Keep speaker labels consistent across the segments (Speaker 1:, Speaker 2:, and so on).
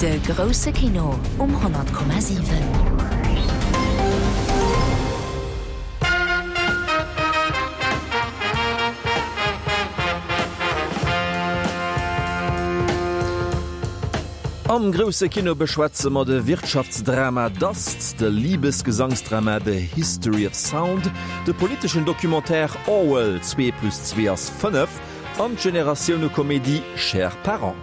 Speaker 1: De grousse Kino um 100,7.
Speaker 2: Am grousse Kino beschwätze mer de Wirtschaftsdrama Dust, de Libesgesangsdrama The History of Sound, de politeschen Documentaire Orwell, Zwee plus zwee ass 5 an d'Generatioune-Komedie Chers parents.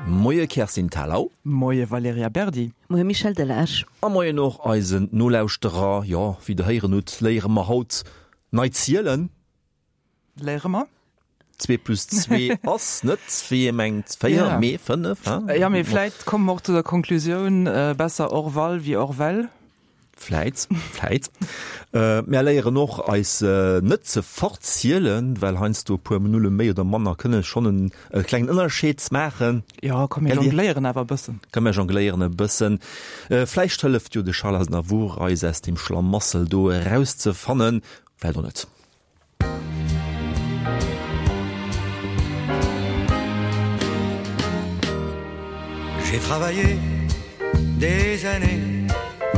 Speaker 2: Moie Kerstin Thalau.
Speaker 3: Moie Valerija Berdi.
Speaker 4: Moie Michel Delage.
Speaker 2: A moien och eisen Nolauschterer. Jo, wéi der héieren hutt, léiere mer haut nei zielen.
Speaker 3: Léiere mer.
Speaker 2: Zwee plus zwee ass net, wéi ee mengt, véier, mee fënnef,
Speaker 3: hein? Jo, mee vläit komme mer och zu der Konklusioun, besser Orval wéi Orwell.
Speaker 2: Vläit, vläit. Mär léieren och eis net ze verzielen, well heiansdo e puer Nulle méi oder manner kënne schonn e klengen Ënnerscheed maachen.
Speaker 3: Jo, komm mir jongléieren awer e bëssen.
Speaker 2: Komm mir jongléieren e bëssen. Vläicht hëlleft jo de Charles Aznavour eis aus deem Schlamassel do erauszefannen, vläicht och net.
Speaker 5: J'ai travaillé des années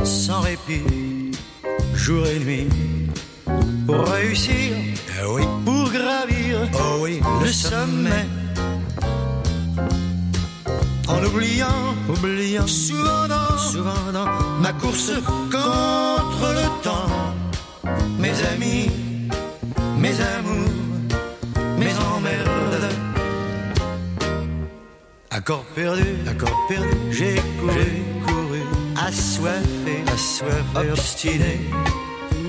Speaker 5: sans répit, jour et nuit pour réussir, eh oui, pour gravir oh oui, le sommet en oubliant oubliant souvent dans, souvent dans ma course contre le temps mes amis mes amours mes emmerdes Accord perdu accord perdu j'ai couru couru assoiffé assoiffé obstiné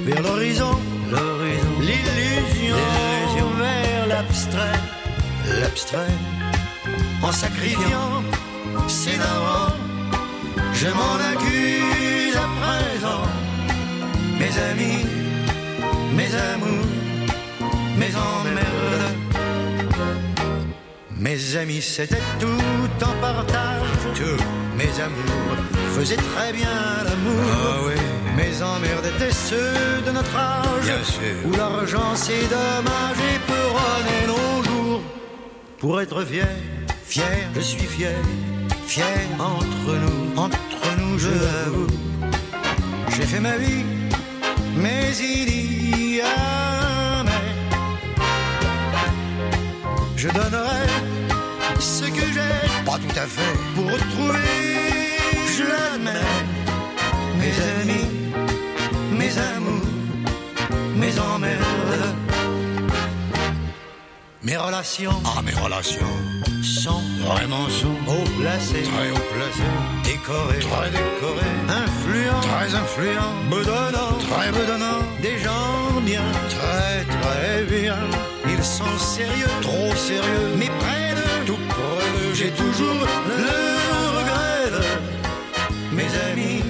Speaker 5: vers l'horizon l'horizon l'illusion vers l'abstrait l'abstrait en sacrifiant ses darons je m'en accuse à présent mes amis mes amours mes emmerdes mes amis c'était tout en partage tout mes amours faisaient très bien l'amour ah oui. mes emmerdes étaient ceux de notre âge bien sûr. où l'argent c'est dommage et peut runner nos jours pour être fier fier je suis fier fier entre nous entre nous je l'avoue j'ai fait ma vie mais il y a mais je donnerai ce que j'ai pas tout à fait pour retrouver je l'admets mes amis mes amours mes emmerdes Mes relations ah mes relations sont vraiment sont haut placées très haut placées décorées très décorées influents très influents bedonnants très bedonnants des gens bien très très bien ils sont sérieux trop sérieux mais près de tout près de j'ai toujours le regret de mes amis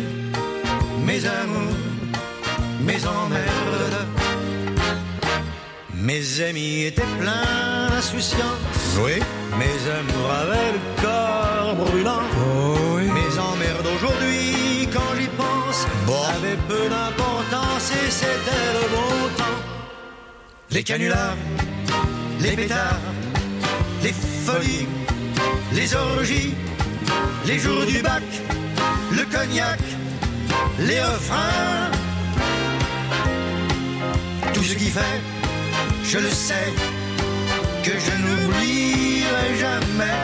Speaker 5: mes amours mes emmerdes Mes amis étaient pleins d'insouciance oui. Mes amours avaient le corps brûlant oh oui. Mes emmerdes aujourd'hui quand j'y pense bon. avaient peu d'importance et c'était le bon temps Les canulars, les pétards, les folies, les orgies, les jours du bac, le cognac, les refrains Tout ce qui fait, je le sais, que je n'oublierai jamais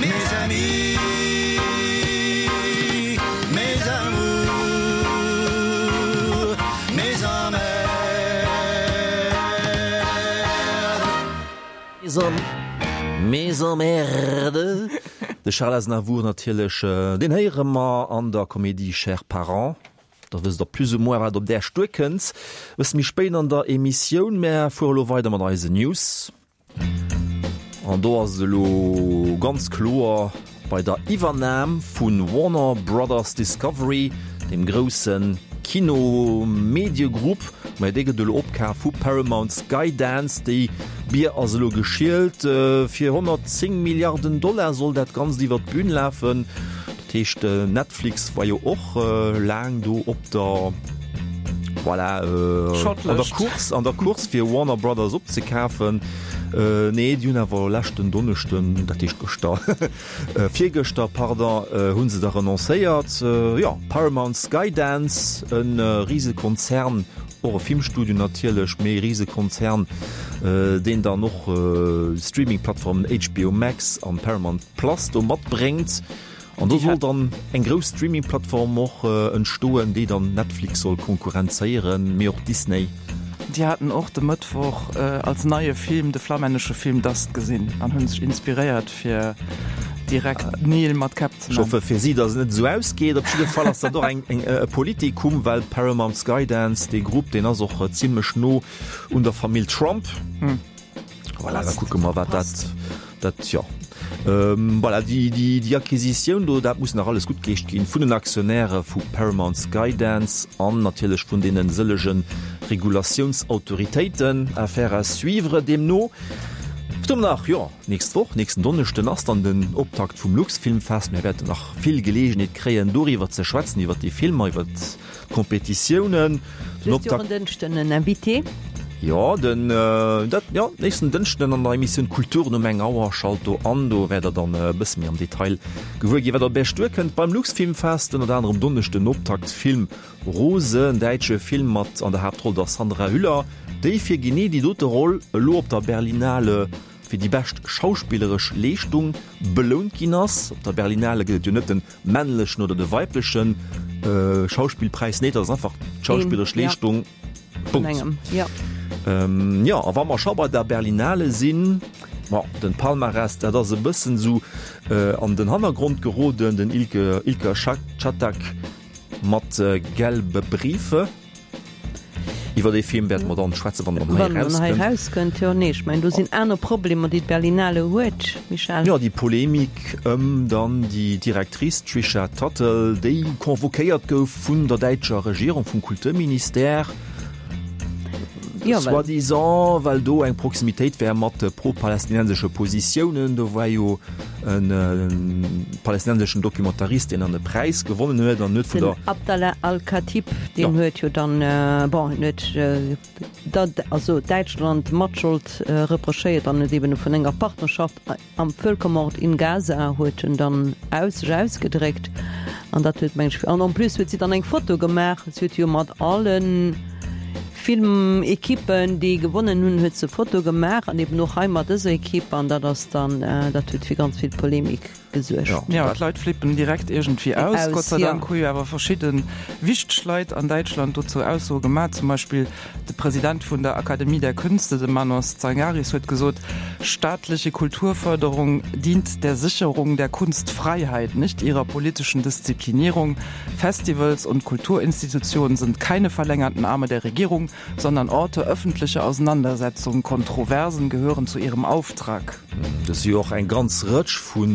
Speaker 5: mes amis, mes amours, mes emmerdes.
Speaker 2: Mes emmerdes. De Charles Aznavour natierlech, deen héiere mer an der Komedie Chers parents. Da wësst der plus ou moins wat op Äech duerkënnt. E bësse méi spéit an der Emissioun. Mär fuere lo weider mat eisen News. An do ass et elo ganz kloer, bei der Iwwernam vu Warner Brothers Discovery, deem grousse Kino-Mediegrupp, mä dee gëtt elo opkaf vu Paramount Skydance. Déi Bier ass elo geschielt. Fir 110 Milliarden Dollar soll dat Ganzt iwwer d'Bün lafen. Dat heescht, Netflix war jo och laang do op der. Voilà, an der Course, an der Course fir Warner Brothers opzekafen. Nee, déi hunn awer leschten Donneschden, dat heescht gëschter, virgëschter, pardon, hu se da renoncéiert. Jo, Paramount Skydance, e Risekonzern, och e Filmstudio natierlech, mee e Risekonzern, deen dann och Streaming-Plattformen HBO Max an Paramount Plus do matbréngt. An do soll dann eng grouss Streaming-Plattform och entstoen, déi dann Netflix soll konkurrenzéieren, mee och Disney.
Speaker 3: Déi haten och de Mëttwoch als neie Film de flammännesche Film Dust gesinn an hunn sech inspiréiert fir direkt Neel mat Käpp ze
Speaker 2: Ech hoffe fir si, datt et net esou ausgeet. Op jidde Fall ass dat och eng e Politikum, well Paramount Skydance, dee Grupp, deen ass och zimlech no un der Famill Trump. Voilà, da kucke mer, wat dat, dat, jo. Voilà, déi, déi, déi Acquisitioun do, dat muss nach alles guttgeheescht ginn vun den Aktionäre vu Paramount Skydance an natierlech vun deene sëllege Regulatiounsautoritéiten. Affaire à suivre deemno. Wat hu mer nach? Jo, nächst Woch, nächsten Donneschden ass dann den Optakt vum Luxfilmfest. Mir wäerten nach vill Geleegenheet kréien, doriwwer ze schwätzen, iwwer déi Filmer, iwwer D'Kompetitiounen,
Speaker 4: den Optakt. Hues du och en Dënschden en Invité?
Speaker 2: Jo, den, dat, jo, nächsten Dënschden an der Emissioun Kultur um eng Auer. Schalt do an, do wäert der dann e bësse méi am Detail gewuer ginn, wat op Iech duerkënnt beim Luxfilmfest. Ënnert anerem Donneschden den Optaktfilm Rose, en däitsche Film mat an der Haaptroll der Sandra Hüller, déi fir genee déi dote Roll elo op der Berlinale fir déi bescht schauspilleresch Leeschtung belount ginn ass. Op der Berlinale gëtt et jo net den männlechen oder de weiblechen Schauspillpräis, nee, dat ass einfach d'schauspilleresch Leeschtung, Punkt. Jo, a wa mer scho bei der Berlinale sinn, bon, den Palmarès, dat ass e bëssen esou an den Hannergrond geroden, den Ilke, Ilker Çatak mat Gelbe Briefe. Iwwer dee Film wäerte mer dann schwätzen, wann en
Speaker 4: hei erauskënnt. Wann en hei erauskënnt, jo. Nee, ech mengen, do sinn aner Problemer, déi d'Berlinale huet, Michel.
Speaker 2: Jo, déi Polemik ëm dann déi Directrice Tricia Tuttle, déi convoquéiert gouf vun der däitscher Regierung, vum Kulturministère, soi-disant, well do eng Proximitéit wär mat pro-palästinensesche Positiounen. Do war jo e palästinenseschen Documentarist, deen dann e Präis gewonnen huet an huet
Speaker 4: vun der. Den Abdallah Al-Khatib, deen huet jo dann, bon, en huet dat, also Däitschland Matschold reprochéiert an huet eben vun enger Partnerschaft am Völkermord in Gaza huet en dann aus, sech ausgedréckt an dat huet, meng ech, an en plus huet si dann eng Foto gemaach, si huet jo mat allen Filmequippen, déi gewonnen hunn, huet se Foto gemaach an eben och hei mat dëser Equipe an dat ass dann, dat huet fir ganz vill Polemik gesuergt.
Speaker 3: Jo, d'Leit flippen direkt iergendwéi aus. Gott sei Dank hu jo awer verschidde wichteg Leit an Däitschland dozou Aussoe gemaach. Zum Beispill de President vun der Akademie der Künste, de Manos Tsangaris, huet gesot, Staatliche Kulturförderung dient der Sicherung der Kunstfreiheit, nicht ihrer politischen Disziplinierung. Festivals und Kulturinstitutionen sind keine verlängerten Arme der Regierung, sondern Orte öffentlicher Auseinandersetzungen. Kontroversen gehören zu ihrem Auftrag.
Speaker 2: Et si jo och eng ganz Rëtsch vu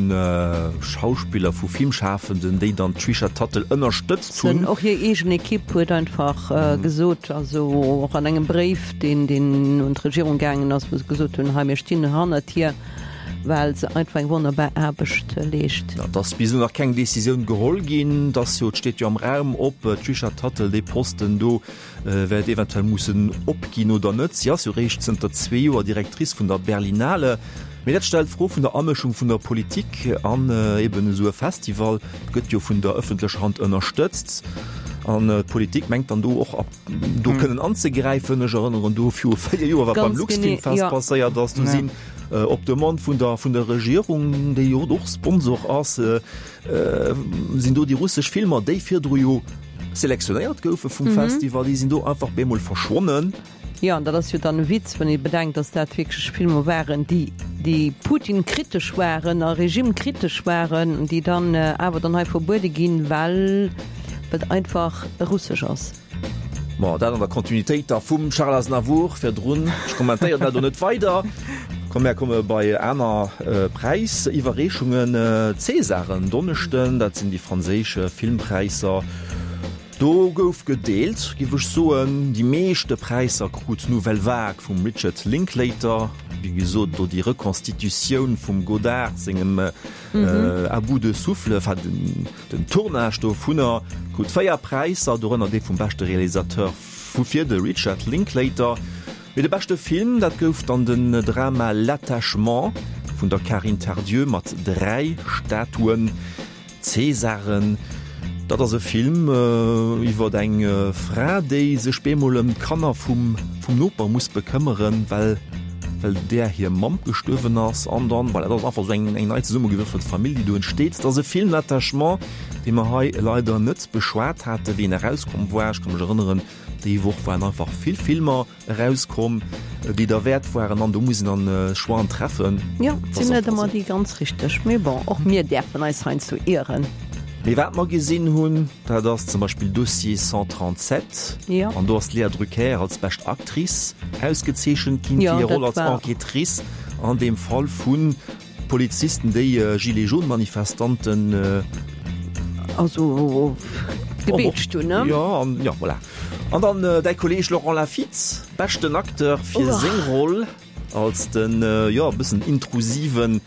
Speaker 2: Schauspiller, vu Filmschafenden, déi dann d'Trisha Tuttle ënnerstëtzt hunn.
Speaker 4: Och hir eegen Ekipp huet einfach gesot, also och an engem Bréif, deen deen un d'Regierung gaangen ass, wou se gesot hunn, hei mir stinn hannert hir. Well se einfach eng wonnerbar Aarbecht leescht.
Speaker 2: Et ass bis elo nach keng Decisioun geholl ginn. Et ass jo, et steet jo am Raum, ob d'Trisha Tuttle dee Posten do wäert eventuell mussen opginn oder net. Si ass jo réischt zënter zwee Joer Directrice vun der Berlinale. Mee dat stellt d'Fro vun der Amëschung vun der Politik an eben esou e Festival gëtt jo vun der ëffentlecher Hand ënnerstëtzt. An d'Politik mengt dann do och do kënnen anzegräifen. Ech erënneren do viru 4 Joer, wat beim Luxfilmfest passéiert ass. Do sinn op Demande vun der vun der Regierung, déi jo och Sponsor ass, sinn do déi russesch Filmer, déi virdru jo selektionéiert goufe vum Festival, déi sinn do einfach bemol verschwonnen.
Speaker 4: Jo, an dat ass jo dann e Witz, wann ee bedenkt, datt dat wierklech Filmer waren, déi déi Putin-kritesch waren a Regime-kritesch waren, déi dann awer dann hei verbuede ginn, well et einfach russesch ass.
Speaker 2: Bon, dat an der Kontinuitéit da vum Charles Aznavour virdrun. Ech kommentéieren dat elo net weider. Komm, mär komme bei aner Präisiwwerreechungen. D'Césaren en Donneschden, dat sinn déi franséisch Filmpräisser. Do gouf gedeelt, giff ech soen. Déi meeschte Präisser krut d'Nouvelle Vague vum Richard Linklater. Wéi gesot, do déi Reconstitutioun vum Godard sengem À bout de souffle, enfin den Tournage dovunner, krut 4 Präisser, dorënner dee vum beschte Realisateur vu fir de Richard Linklater. Mee de beschte Film, dat gouf dann den Drama L'attachement vun der Karine Tardieu mat 3 Statuen. Cäsaren, dat ass e Film iwwer eng Fra, déi sech bemol ëm d'Kanner vum Noper muss bekëmmeren, well well där hir Mamm gestuerwen ass. An dann, voilà, dat ass einfach esou eng eng nei zesummegewürfelt Famill, déi do entsteet. Dat ass e Film, L'attachement, dee mer hei leider net beschwat haten, wéi en erauskomm war. Ech ka mech erënneren, déi Woch waren einfach vill Filmer. Erauskomm, déi derwäert waren an do muss een dann Choixen treffen.
Speaker 4: Jo, et sinn net ëmmer déi ganz richteg, mee bon, och mir däerfen eis heiansdo ieren.
Speaker 2: Mee wat mer gesinn hunn, dat ass zum Beispill Dossier 137.
Speaker 4: Jo.
Speaker 2: An do ass d'Léa Drucker als bescht Actrice ausgezeechent ginn fir hir Roll als Enquêtrice an deem Fall vu Polizisten, déi Gilets jaunes Manifestanten.
Speaker 4: Also gebeetscht hunn, ne?
Speaker 2: Jo, an jo, voilà. An dann däi Kolleeg Laurent Lafitte, beschten Acteur fir seng Roll als den, jo, e bëssen intrusiven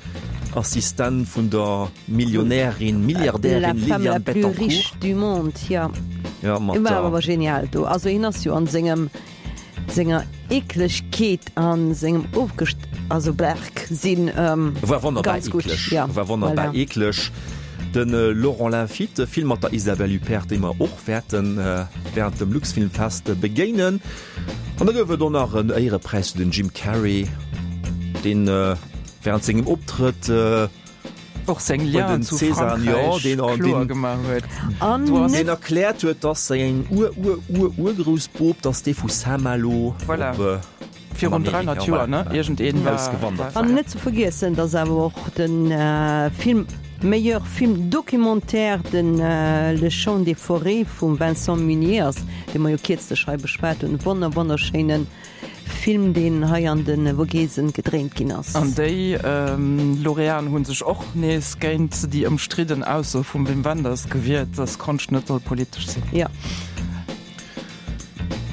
Speaker 2: Assistent vun der Millionärin, Milliardärin
Speaker 4: Liliane Bettencourt. La femme la plus riche du monde, jo.
Speaker 2: Jo, mat der.
Speaker 4: War awer genial do. Also hien ass jo an sengem. Senger Eeklegkeet a sengem ofgest also Berg sinn
Speaker 2: War wonnerbar
Speaker 4: ganz gutt.
Speaker 2: eekleg.
Speaker 4: Ja,
Speaker 2: War wonnerbar
Speaker 4: voilà.
Speaker 2: eekleg. De Laurent Lafitte, Film mat der Isabelle Huppert, déi mer och wäerte während dem Luxfilmfest begéinen. An da gouf et och nach en Éierepräis fir den Jim Carrey, deen während sengem Optrëtt,
Speaker 3: Och seng Lienen zu
Speaker 2: Frankräich
Speaker 3: kloer gemaach huet.
Speaker 2: Deen erkläert huet, datt säin Ur-Ur-Ur-Urgroussbop, datt dee vu Saint-Malo
Speaker 3: op Virun 300 Joer, ne? Iergendeen war
Speaker 2: ausgewandert
Speaker 4: war. An net ze vergiessen, datt awer och de Film Meilleur film documentaire de Le Chant des forêts vum Vincent Munier ass, dee mer jo kierzlech hei beschwat hunn. Wonner wonnerschéinen Film deen hei an de Vogesen gedréint ginn ass.
Speaker 3: An déi Lauréaten hu sech och nees géint déi ëmstridden Ausso vum Wim Wenders gewiert, dass Konscht net soll politesch sinn.
Speaker 4: Jo.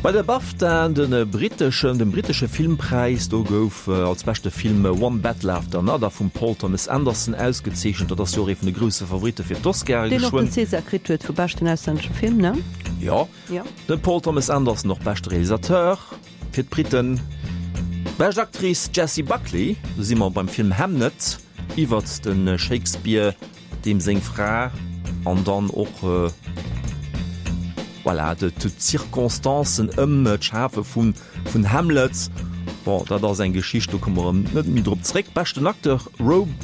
Speaker 2: Bei de BAFTAen, de britteschen, dem brittesche Filmpräis, do gouf als beschte Film One Battle After Another vum Paul Thomas Anderson ausgezeechent. Dat ass jo och ee vun de grousse Favoritte fir d'Oscare
Speaker 4: Deen och den
Speaker 2: geschwënn.
Speaker 4: César kritt huet vu beschten auslännesche Film, ne?
Speaker 2: Jo. De Paul Thomas Anderson och beschte Realisateur fir d'Briten. Bescht Actrice Jessie Buckley, do si mer beim Film Hamnet iwwert de Shakespeare, deem seng Fra an dann och voilà d'Circonstancen ëm d'Schafe vun Vun Hamlet, bon dat ass eng Geschicht, do komme mer erëm net méi drop zréck. Beschten Acteur,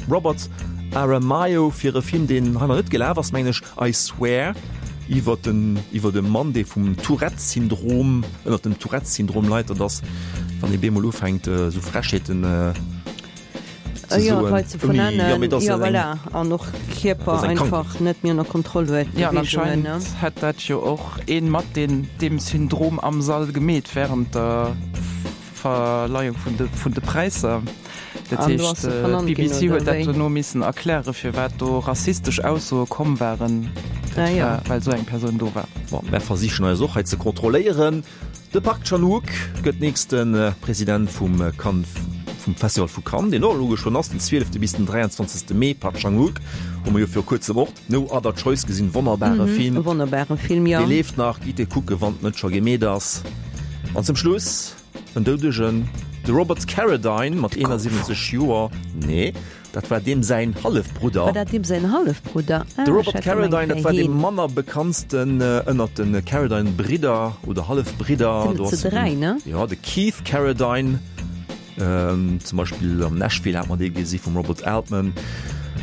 Speaker 2: Robert Aramayo fir e Film, deen hei nach net gelaf ass, mengen ech, I Swear, iwwer den iwwer e Mann, dee vum Tourette-Syndrom, ënnert dem Tourette-Syndrom leit. Dat ass, wann ee bemol ufänkt esou Frechheeten
Speaker 4: ze soen, Leit ze vernennen, jo voilà, an och Kierper einfach net méi ënner Kontroll huet.
Speaker 3: Jo, an anscheinend hätt dat jo och een mat deen deem Syndrom am Sall gemeet während der Verleihung vun de vun de Präisser. Dat heescht d'BBC huet dat dono missen erkläre firwat do rassistesch Aussoe komm waren, dat war well esou eng Persoun do war.
Speaker 2: Bon, mär versichen eis och hei ze kontrolléieren. De Park Chan-wook gëtt nächste President vum Cannes, vum Festival vu Cannes, deen och elo geschwënn ass, den 12. bis den 23. Mee. Park Chan-wook hu mer jo viru kuerzem och No Other Choice gesinn, wonnerbare Film.
Speaker 4: E wonnerbare Film, jo.
Speaker 2: Dee leeft nach, gitt e kucke wann et net scho gemeet ass. An zum Schluss en Doudegen, de Robert Carradine mat 71 Joer, nee, Dat war deem säin Hallefbrudder.
Speaker 4: War dat deem säin Hallefbrudder?
Speaker 2: De Robert Carradine, dat war dee manner bekanntsten ënnert de Carradine-Bridder oder Hallefbridder.
Speaker 4: Sinn et zu 3, ne?
Speaker 2: Jo, de Keith Carradine, zum Beispill am Nashville hat mer dee gesi vum Robert Altman.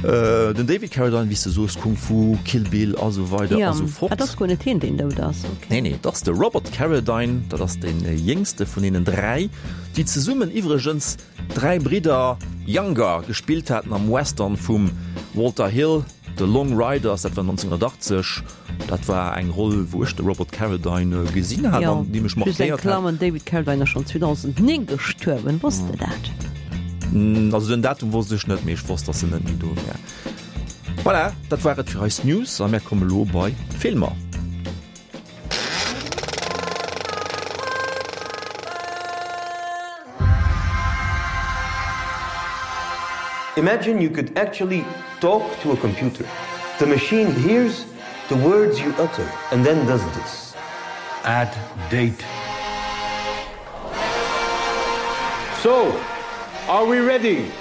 Speaker 2: Den David Carradine, wéi s de soos, Kung Fu, Kill Bill a sou weider a sou fort.
Speaker 4: Ah, dat ass guer net hien, deen dout ass, ok.
Speaker 2: Nee, nee, dat ass de Robert Carradine, dat ass dee jéngste vun deenen 3, déi zesummen iwwregens Dräi Bridder Younger gespillt haten am Western vum Walter Hill, The Long Riders, dat war 1980. Dat war eng Roll, wou ech de Robert Carradine gesinn hat an déi mech
Speaker 4: Just eng
Speaker 2: markéiert hat.
Speaker 4: Klammer, den David Carradine ass schonn 2009 gestuerwen, wosst de dat?
Speaker 2: Also den Datum wosst ech net, mee ech wosst, dass en net méi do wär. Voilà, dat war et fir eis News a mär komme lo bei d'Filmer.
Speaker 6: Imagine you could actually talk to a computer. The machine hears the words you utter and then does this.
Speaker 5: Add date.
Speaker 6: So, are we ready?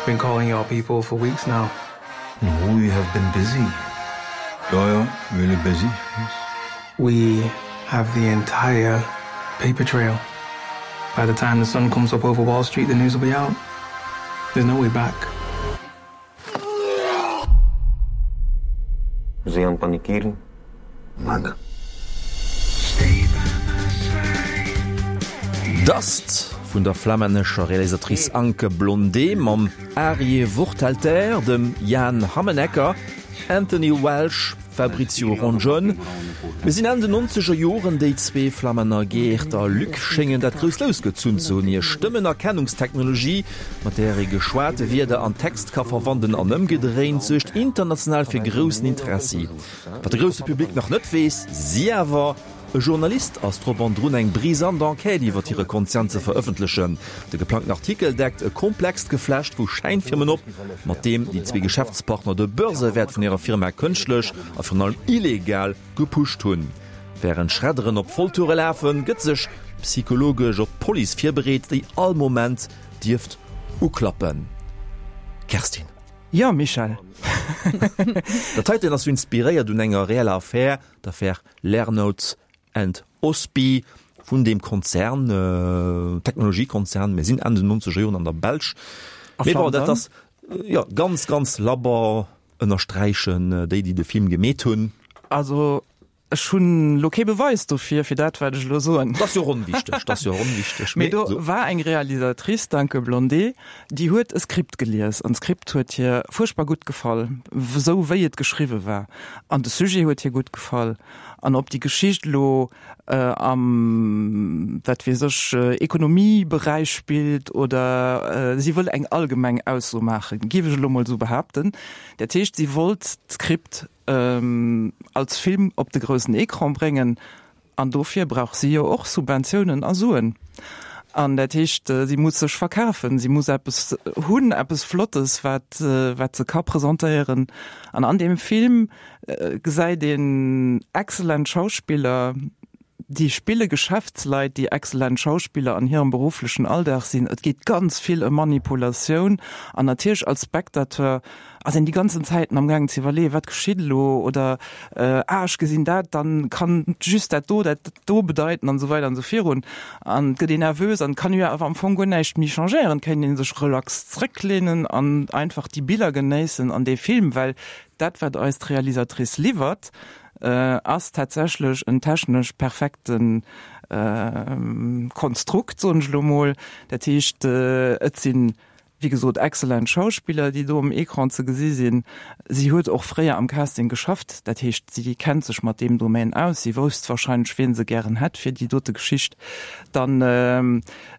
Speaker 7: Been calling y'all people for weeks now.
Speaker 5: No, we have been busy. Yeah, yeah, really busy. Yes.
Speaker 7: We have the entire paper trail. By the time the sun comes up over Wall Street, the news will be out. There's no way back.
Speaker 6: Ze aan panikieren?
Speaker 5: Mann.
Speaker 2: Dust vun der flammännescher Realisatrice Anke Blondé mam Arieh Worthalter, dem Jan Hammenecker, Anthony Welsh, Fabrizio Rongione. Mir sinn Enn den nonzeger Joren, déi zwee Flammänner Geert a Luc schéngen dat grousst Lous gezunn ze hunn. Hir Stëmmenerkennungstechnologie, mat där ee geschwate Wierder an Text ka verwandelen an ëmgedréint, suergt international fir groussen Interessi. Wat de grousse Public nach net weess, si awer, E Journalist ass drop an drun eng brisant Enquête iwwer hire Konzern ze verëffentlechen. De geplangten Artikel deckt e komplext Geflecht vu Schäinfirmen op, mat deem déi zwee Geschäftspartner de Börsewäert vun hirer Firma kënschtlech a virun allem illegal gepusht hunn. Wärend Schredderen op Volltoure lafen, gëtt sech psychologesch op d'Police virbereet, déi all Moment dierft uklappen. Kerstin.
Speaker 3: Jo, Michel.
Speaker 2: Dat heiten ass jo inspiréiert un enger reeller Affär, d'Affär Lernout and Osby vun deem Konzern, Technologiekonzern, mir sinn Enn den nonzeger Joren an der Belsch.
Speaker 3: A
Speaker 2: Mee bon, dat
Speaker 3: Flandern.
Speaker 2: ass jo ganz, ganz labber, ënnersträichen déi, déi de Film gemeet hunn.
Speaker 3: Also ech hunn elo kee Beweis dofir, fir dat wat ech elo soen.
Speaker 2: Dat ass jo och onwichteg, dat ass jo och onwichteg.
Speaker 3: Mee do war eng Realisatrice, d'Anke Blondet, déi huet e Skript gelies an d'Skript huet hir fuerchtbar gutt gefall, esou wéi et geschriwwe war. An de Sujet huet hir gutt gefall. An ob déi Geschicht elo am, wat weess ech, Ekonomieberäich spillt oder, si wëll eng allgemeng Ausso maachen, géif ech elo mol esou behaapten. Dat heescht, si wollt d'Skript als Film op de groussen Ecran bréngen. An dofir brauch si jo och Subventiounen a Suen. An dat heescht, si muss sech verkafen, si muss eppes hunn, eppes Flottes, wat, wat se ka presentéieren. An an deem Film gesäit een excellent Schauspiller, déi spille Geschäftsleit, déi excellent Schauspiller an hirem berufflechen Alldag sinn. Et geet ganz vill ëm Manipulatioun. An natierlech als Spectateur ass een déi ganzen Zäiten am gaangen ze iwwerleeën, wat geschitt elo oder ah ech gesinn dat, dann kann just dat do dat do bedeiten an esou weider an esou virun. An et gëtt een nervös an et kann jo awer am Fong guer näischt méi changéieren, et kéint ee sech relax zrécklehnen an einfach déi Biller genéissen an dee Film, well dat wat eis d'Realisatrice liwwert, ass tatsächlech en technesch perfekte Konstrukt, soen ech elo mol. Dat heescht et sinn Wéi gesot, excellent Schauspiller, déi do um Ecran ze gesi sinn. Si huet och fréier am Casting geschafft, dat heescht, si kennt sech mat deem Domaine aus. Si wousst warscheinlech, wien se gären hätt fir déi dote Geschicht. Dann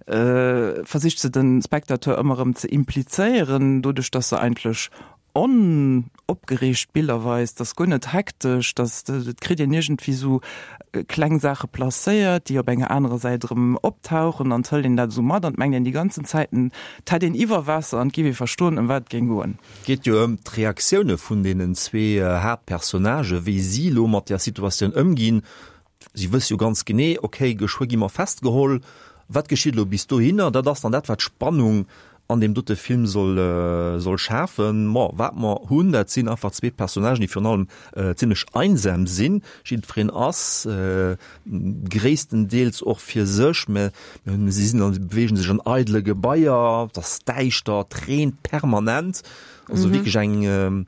Speaker 3: versicht se de Spectateur ëmmer erëm ze implizéieren, doduerch datt se eigentlech onopgereegt Biller weist, ass guer net hektesch, dass et kritt een iergendwéi sou kleng Saache placéiert, déi op enger anerer Säit erëm optauchen an et hëlt een dat esou mat an et mengt een déi ganzen Zäiten, et hätt een Iwwerwaasser an et géif ee verstoen, ëm wat et géing goen.
Speaker 2: Et geet jo ëm d'Reaktioune vun deenen zwee Haaptpersonnagen, wéi si elo mat där Situatioun ëmginn. Si wësse jo ganz genee, ok, geschwë gi mer festgeholl, wat geschitt elo bis dohinner? Dat ass dann dat, wat d'Spannung an deem dote Film soll soll schafen. Bon, wat mer hunn, dat sinn einfach zwee Personnagen, déi virun allem zimlech einsam sinn. Jiddwereen ass gréisstendeels och fir sech, mä si sinn an beweegen sech an eidele Gebaier, et ass däischter, et reent permanent, also wierklech eng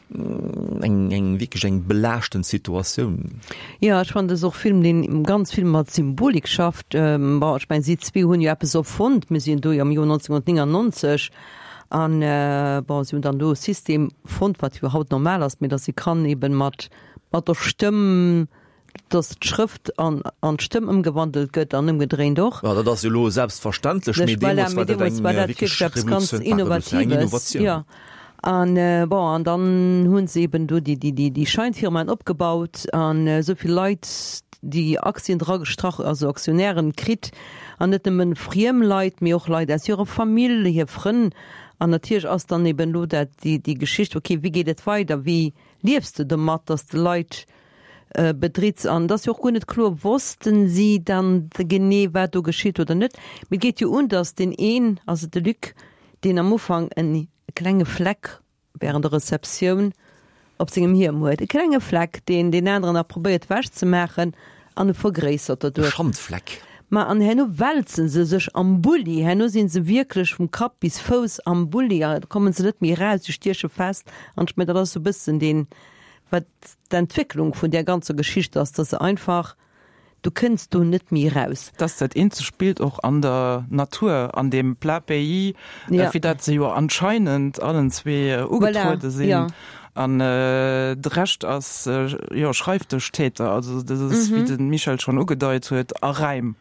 Speaker 2: eng eng wierklech eng belaaschtend Situatioun.
Speaker 4: Jo, ech fannen, dat ass och e Film, deen ganz vill mat Symbolik schafft. Bon, ech mengen, si zwee hunn jo eppes erfonnt. Mir sinn do jo am Joer 1999 an, bon, si hunn dann do e System fonnt, wat jo haut normal ass, mee datt ee kann eben mat mat der Stëmm Dass d'Schrëft an an d'Stëmm ëmgewandelt gëtt an ëmgedréint och.
Speaker 2: Jo, dat ass jo elo selbstverständlech, mee
Speaker 4: deemools war dat eng wierklech Revolutioun, war Revolutioun, eng Innovatioun. Jo, an bon, an dann hu se eben do déi déi déi Scheinfirmaen opgebaut an esou vill Leit. déi Aktien dra gestrach, also Aktionären kritt, an net nëmmen friem Leit, mee och Leit aus hirer Famill, hir Frënn. An natierlech ass dann eben elo dat déi déi Geschicht, okay, wéi geet et weider, wéi liefs de domat, datt s de Leit bedritts? An et ass jo och guer net kloer, wossten si dann genee wat do geschitt oder net? Mee et geet jo un, datt deen een, also de Luc, deen am Ufank en klenge Fleck während der Receptioun op sengem Hiem huet, e klenge Fleck, deen deen aneren nach probéiert ewech ze maachen an e vergréissert
Speaker 2: E
Speaker 4: doduerch.
Speaker 2: Schandfleck.
Speaker 4: Ma an herno wälze se sech am Bulli, herno si se wierklech vum Kapp bis Fouss am Bulli a komme se net méi eraus, se stieche fest an ech mengen, dat ass esou e bëssen deen, wat d'Entwécklung vun där ganzer Geschicht ass, dass se einfach Du kënns do net méi eraus.
Speaker 3: 't ass dat eenzegt Bild och an der Natur, an deem plat pays, fir dat se jo anscheinend allen zwee ugetruede sinn. An de Rescht ass jo Schreifdëschtäter, also dat ass, wéi de Michel schonn ugedeit huet, a Räim.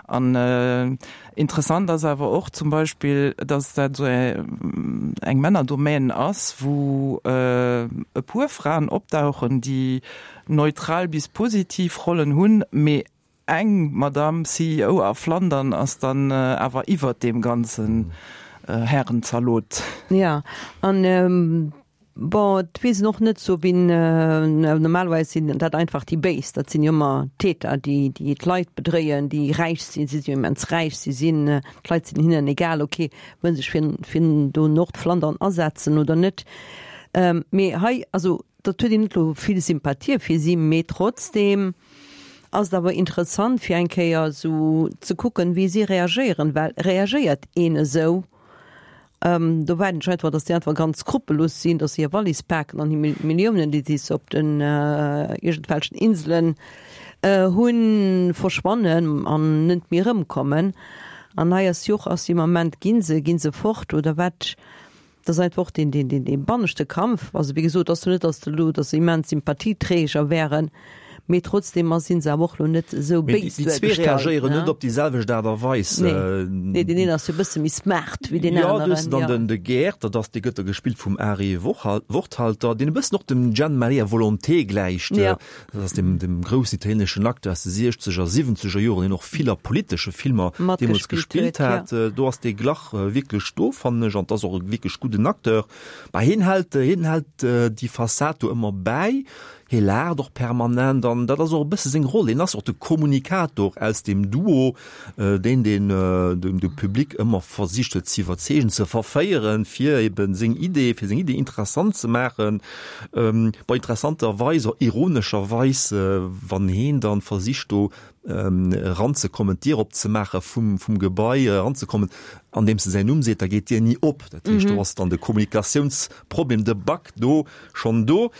Speaker 3: An interessant ass awer och zum Beispill, datt dat esou eng Männerdomaine ass, wou e puer Fraen opdauchen, déi neutral bis positiv Rollen hunn, mee eng Madame CEO a Flandern ass dann awer iwwert deem ganzen Härenzalot.
Speaker 4: Jo, an bon, et weess een och net sou wien, normalerweis sinn dat einfach déi Béis, dat sinn jo ëmmer d'Täter, déi déi d'Leit bedréien, déi räich sinn, si sinn jo immens räich, si sinn, d'Leit sinn hinnen egal, ok, wëllen sech fir fir do Nordflandern asetzen oder net. Mee hei, also Dat huet een net elo vill Sympathie fir si, mee trotzdeem ass et awer interessant fir eng Kéier esou ze kucken, wéi si reagéieren, well reagéiert een esou, do waarden ech einfach, datt déi einfach ganz skrupellos sinn, datt se hir Wallis paken an hir Milliounen, déi se op den iergendwelchen Inselen hunn, verschwannen an net méi erëmkommen. An hei ass jo och, ass dee Moment, gi se, gi se fort oder wat? Dat ass einfach och deen, deen, deen, dee banneschte Kampf. Also, wéi gesot, ass jo net, datt elo, datt se immens Sympathieträger wären, mee trotzdeem ass, si se awer och elo net esou
Speaker 2: Mee déi
Speaker 4: béis
Speaker 2: déi zwee
Speaker 4: duergestallt,
Speaker 2: reagéieren
Speaker 4: ne?
Speaker 2: net op déi selwecht Aart a Weis.
Speaker 4: Nee, nee, deen een ass jo e bësse méi smart wéi deen
Speaker 2: Jo, du hues
Speaker 4: aneren,
Speaker 2: dann
Speaker 4: jo.
Speaker 2: den, de Gerd, dat ass, dee gëtt da gespillt vum Ari Worthal, Worthalter, deen e bëssen och dem Gian Maria Volonté gläicht.
Speaker 4: Ja.
Speaker 2: Dat ass deem, deem groussen italieeneschen Acteur aus de siechzeger, siwwenzeger Joren, deen och vill a politesche Filmer deemools
Speaker 4: Matgespillt
Speaker 2: gespillt
Speaker 4: huet, ja.
Speaker 2: hat. Do ass dee Glach wierklech do, fannen ech, an 't ass och e wierklech gudden Acteur. Bah, hien hält, hien hält déi Fassad do ëmmer bäi, hie laacht och permanent an dat ass och e bësse seng Roll. Hien ass och de Kommunikator aus deem Duo, deen deen de Public ëmmer versicht huet ze iwwerzeegen, ze verféieren, fir eben seng Idee, fir seng Idee interessant ze maachen. Bei interessanterweis oder ironescherweis, wann heen dann versicht do eranzekommen, d'Dier opzemaache vum vum Gebai, eranzekommen, andeems e säin Numm seet, da geet d'Dier ni op. Dat heescht, do ass dann de Kommunikatiounsproblem, de Bug do schonn do.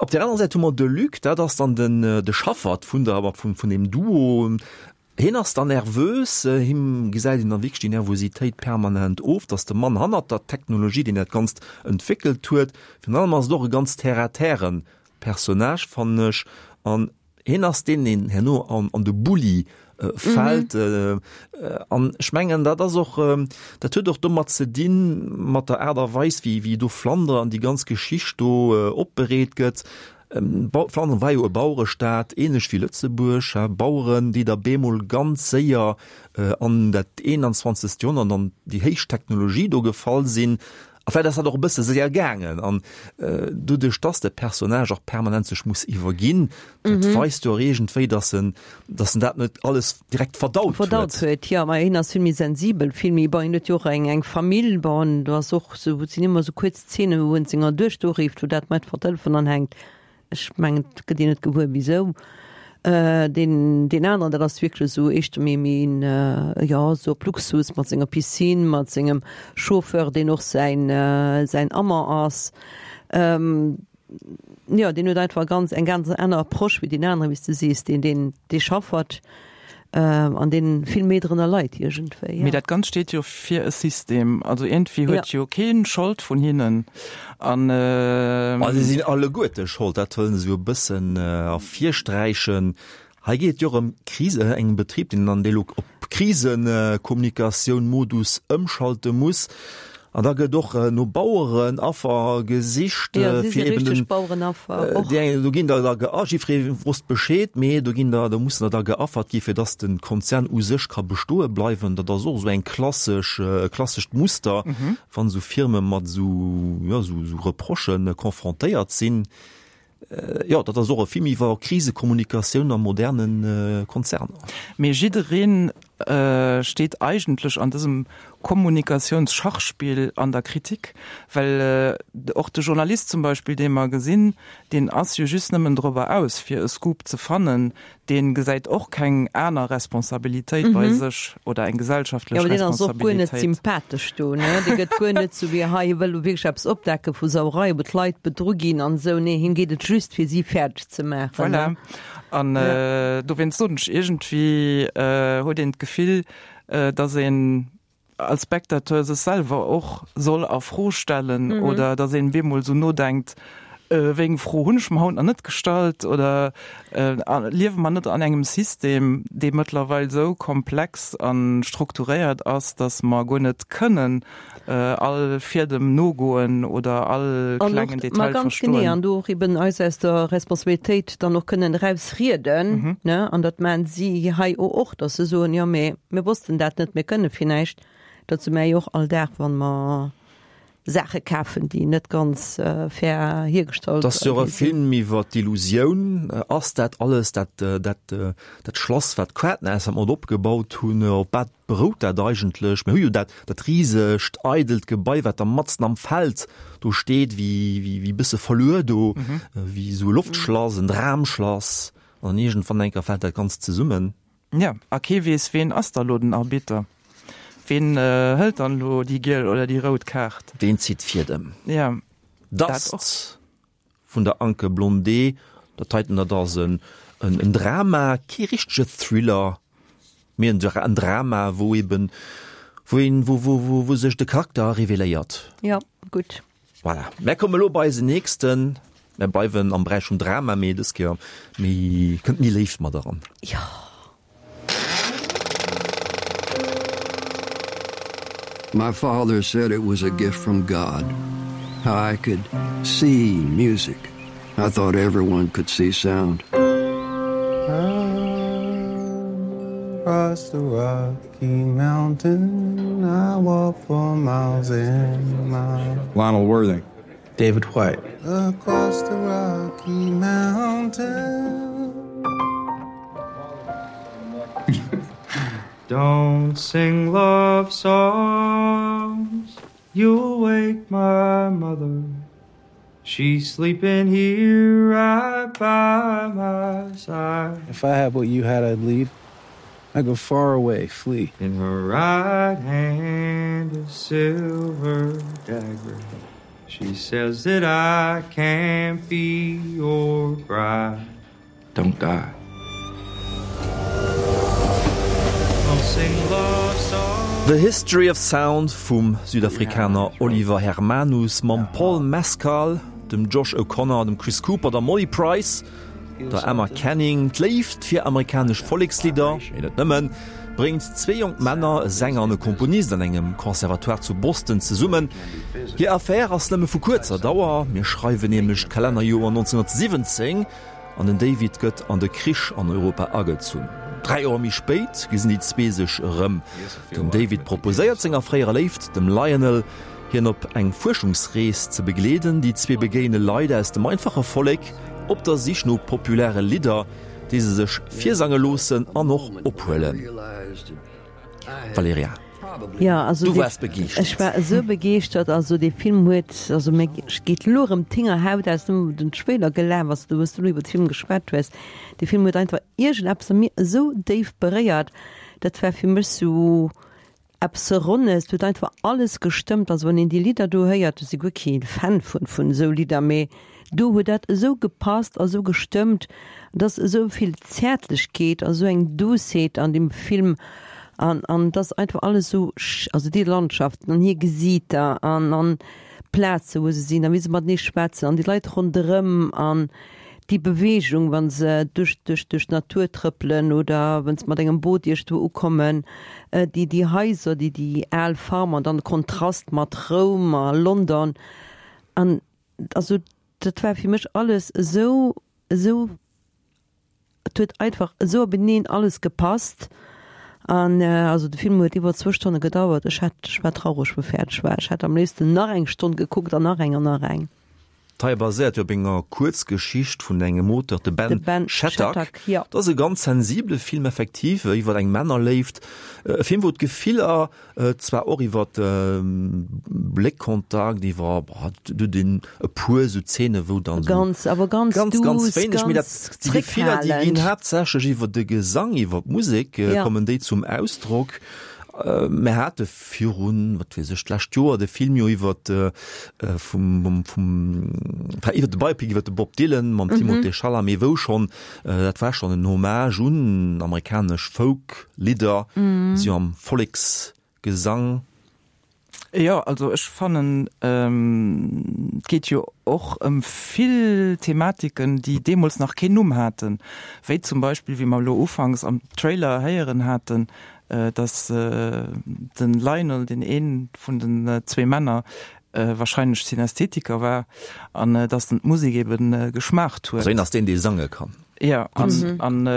Speaker 2: Op där anerer Säit hu mer de Luc, dat ass dann den de Schaffert vun der vun vun deem Duo. Hien ass dann nervös, him gesäit een dann wierklech déi Nervositéit permanent of, dass de Mann hannert der Technologie, deen dat Ganzt entwéckelt huet, virun allem ass et och e ganz terre-à-terre Personnage, fannen ech, an hien ass deen, deen herno an an de Bulli fält. An ech mengen, dat ass och, dat huet och domat ze dinn, mat der Aart a Weis, wéi wéi do Flandre an déi ganz Geschicht do opbereet gëtt. Flandern war jo e Bauerestaat, ähnlech wéi Lëtzebuerg, Baueren, déi da bemol ganz séier an dat 21. Joerhonnert, an déi héich Technologie do gefall sinn. A vläicht ass dat och e bësse séier gaangen. An doduerch, dass de Personnage och permanent sech muss iwwerginn, dat weist jo och iergendwéi, dass en, dass en dat net alles direkt verdaut huet.
Speaker 4: Verdaut huet, jo. Ma hien ass vill méi sensibel, vill méi, bon, hien huet jo och eng, eng Famill, bon, do ass och sou, et sinn ëmmer sou kuerz Szene wou en senger Duechter urifft, wou dat mat van Telefon anhänkt. Ech mengen et gëtt een net gewuer wisou. Deen deen aneren dat ass wierklech esou éischter méi méi een jo esou op Luxus mat senger Piscine, mat sengem Chauffeur deen och säin säin Amant ass. Jo deen huet einfach ganz eng ganz aner Approche wéi deen aneren, wéi s de sees, deen deen dee Chaffert. An deen vill méi drënner leit iergendwéi.
Speaker 3: Mee dat Ganzt steet jo fir e System. Also iergendwéi huet jo keen Schold vun hinnen. An.
Speaker 2: Ma se sinn alleguerte Schold, dat wëllen se jo e bëssen ervirsträichen. Hei geet et jo och ëm Krise, engem Betrib, deen dann dee lo op Krisekommunikatioun-Modus ëmschalte muss. An da gëtt och no Bauerenaffer gesicht,
Speaker 4: Jo, si
Speaker 2: fir
Speaker 4: si
Speaker 2: eben
Speaker 4: richteg
Speaker 2: den,
Speaker 4: Bauerenaffer och.
Speaker 2: déi eng, do ginn der da ge, jiddweree wosst Bescheed, mee do ginn der, do mussen der da geaffert gi fir dass de Konzern u sech ka bestoe bleiwen. Dat ass och esou eng klassesch, e klassescht Muster, wann esou Firme mat esou, jo, esou, esou Reprochë confrontéiert sinn. Jo, dat ass och e Film iwwer Krisekommunikatioun a moderne Konzerner.
Speaker 3: Mee jiddereen steet eigentlech an dësem Kommunikatiounsschachspill an der Kritik, well och de Journalist zum Beispill, dee mer gesinn, deen ass jo just nëmmen dorobber aus, fir e Scoop ze fannen, dee gesäit och keng aner Responsabilitéit bei sech oder eng gesellschaftlech
Speaker 4: Jo, awer deen ass och guer net
Speaker 3: Responsabilitéit.
Speaker 4: sympathesch do, ne? Dee gëtt guer net sou wéi hei, hie wëll elo wierklech eppes opdecke vu Sauerei, wou d'Leit bedru ginn an esou. Nee, him geet et just fir si fäerdeg ze maachen,
Speaker 3: Voilà.
Speaker 4: ne?
Speaker 3: An
Speaker 4: Ja.
Speaker 3: dowéinst soen ech, iergendwéi huet een d'Gefill, datt een als Spectateur sech selwer och soll a Fro stellen oder datt een bemol esou nodenkt, wéi eng Fro hunn ech mer haut nach net gestallt oder liewe mer net an engem System, dee mëttlerweil esou komplex a strukturéiert ass, datt mer guer net kënnen all Fiedem nogoen oder all klengen Detail verstoen.
Speaker 4: Ma ganz genee, an do och eben eis aus der Responsabilitéit dann och kënnen erausrieden, ne, an dat maachen si hei och, datt se soen, jo mee Mir wossten dat net, mir kënne fir näischt. Dat si mär jo och all Dag, wann mer Saache kafen, déi net ganz fair hiergestallt
Speaker 2: Et ass jo och e
Speaker 4: gi sinn.
Speaker 2: Film iwwer d'Illusioun. Ass dat alles dat, dat, dat Schlass, wat d'Quaartnässer mat opgebaut hunn, op wat berout dat eigentlech? Mir hu jo dat, dat risegt, eidelt Gebai, wat da matzen am Feld do steet, wéi, wéi, wéi e bësse verluer do, wéi esou e Loftschlass, en Dramschlass. An iergendwann eng Kéier fält dat Ganzt zesummen.
Speaker 3: Jo, a kee weess, ween ass da lo den Arbitter? Ween hëlt dann elo déi giel oder déi rout Kaart?
Speaker 2: Ween zitt d'Fiedem?
Speaker 3: Jo, dat och.
Speaker 2: Dust vun der Anke Blondé, dat heiten, dat ass en en Drama, kee richtege Thriller, mee en Drama, wou eben, wou een, wou wou wou sech de Charakter reveléiert.
Speaker 4: Jo, gutt.
Speaker 2: Voilà, mär kommen elo bei eisen nächsten. Mär bleiwen am Beräich vum Drama, mee dës Kéier méi, kënnt méi Léift mat eran.
Speaker 4: Jo.
Speaker 5: My father said it was a gift from God, how I could see music. I thought everyone could see sound.
Speaker 7: Across the Rocky Mountain, I walk for miles and miles.
Speaker 8: Lionel Worthing.
Speaker 7: David White. Across the Rocky Mountain.
Speaker 8: Don't sing love songs, you'll wake my mother. She's sleeping here right by my side.
Speaker 7: If I had what you had, I'd leave. I'd go far away, flee.
Speaker 8: In her right hand a silver dagger. She says that I can't be your bride. Don't die.
Speaker 2: The History of Sound vum Südafrikaner Oliver Hermanus mam Paul Mescal, dem Josh O'Connor, dem Chris Cooper, der Molly Price, der Emma Canning. D'Léift fir amerikanesch Vollekslidder, mee net nëmmen, bréngt zwee jonk Männer, e Sänger an e Komponist, an engem Conservatoire zu Boston zesummen. Hir Affär ass nëmme vu kuerzer Dauer, mir schreiwen nämlech d'Kalennerjoer 1917, An den David gëtt an de Krich an Europa agezunn. 3 Joer méi spéit gesinn déi zwee sech erëm. Den David proposéiert senger fréierer Léift, dem Lionel, hien op eng Fuerschungsrees ze begleeden. Déi zwee begéine Leit aus dem einfache Vollek op der Sich no populäre Lidder, déi se sech virsange loossen an och ophuelen. Valerija,
Speaker 4: Ja, also
Speaker 2: du
Speaker 4: dee,
Speaker 2: waars begeeschtert.
Speaker 4: ech war esou begeeschtert. Also dee Film huet, also mir geet elo erëm d'Hingerhaut aus, nëmme wou den Trailer gelaf ass, do wou s du elo iwwer de Film geschwat hues. Dee Film huet einfach iergendeppes a mir esou déif beréiert. Dat war fir mech sou eppes Ronnes, do huet einfach alles gestëmmt. Also wann een déi Lidder do héiert, ech si guer kee Fan vun vun esou Lidder, mee do huet dat esou gepasst a sou gestëmmt. Et ass esou vill Zäertlechkeet a sou eng Douceheet an deem Film an an et ass einfach alles esou, also déi Landschaften an hir Gesiiter an an d'Plaze wou se sinn a wéi se matenee schwätzen an déi Leit ronderëm an. Déi Beweegung, wa se duerch, duerch, duerch d'Natur trëppelen oder wa se mat engem Boot iergendwou ukommen, déi, déi Haiser, déi, déi al Farm an dann de Kontrast mat Roum a London. An also dat war fir mech alles esou, esou, et huet einfach esou openeen alles gepasst. An also de Film huet iwwer zwou Stonne gedauert. Ech hat, ech war traureg wou fäerdeg war. Ech hätt am léifsten nach eng Stonn gekuckt an nach eng an nach eng.
Speaker 2: D'Hei baséiert jo op enger Kuerzgeschicht vun engem Auteur, de Ben, ben Shattuck. Shattuck ja. Dat ass e ganz sensibele Film effektiv, iwwer eng Männerléift. E Film, wou d'Gefiller zwar och iwwer Bléckkontakt, iwwer du den e puer sou Zeene wou dann
Speaker 4: so ganz, awer ganz,
Speaker 2: ganz, ganz wéineg, mee dat déi Gefiller, déi ginn haaptsächlech iwwer de Gesang, iwwer d'Musek ja. kommen déi zum Ausdrock. Mir hate virun, wat weess ech, d'lescht Joer de Film jo iwwer vum, vum, enfin iwwer de Biopic iwwer de Bob Dylan mam Timothée Chalamet, wou schonn, dat war schonn en Hommage un amerikanesch Folk-Lidder, si jo am Volleksgesang.
Speaker 3: Jo, also ech fannen, et geet jo och ëm vill Thematiken, déi deemools nach keen Numm haten, wéi zum Beispill, wéi mer elo ufanks am Trailer héieren haten, datt de Lionel, deen ee vun den zwee Männer, wahrscheinlech Synästhetiker war an datt en d'Musek ebe geschmaacht huet.
Speaker 2: Also hien ass deen, dee sange kann.
Speaker 3: Jo, an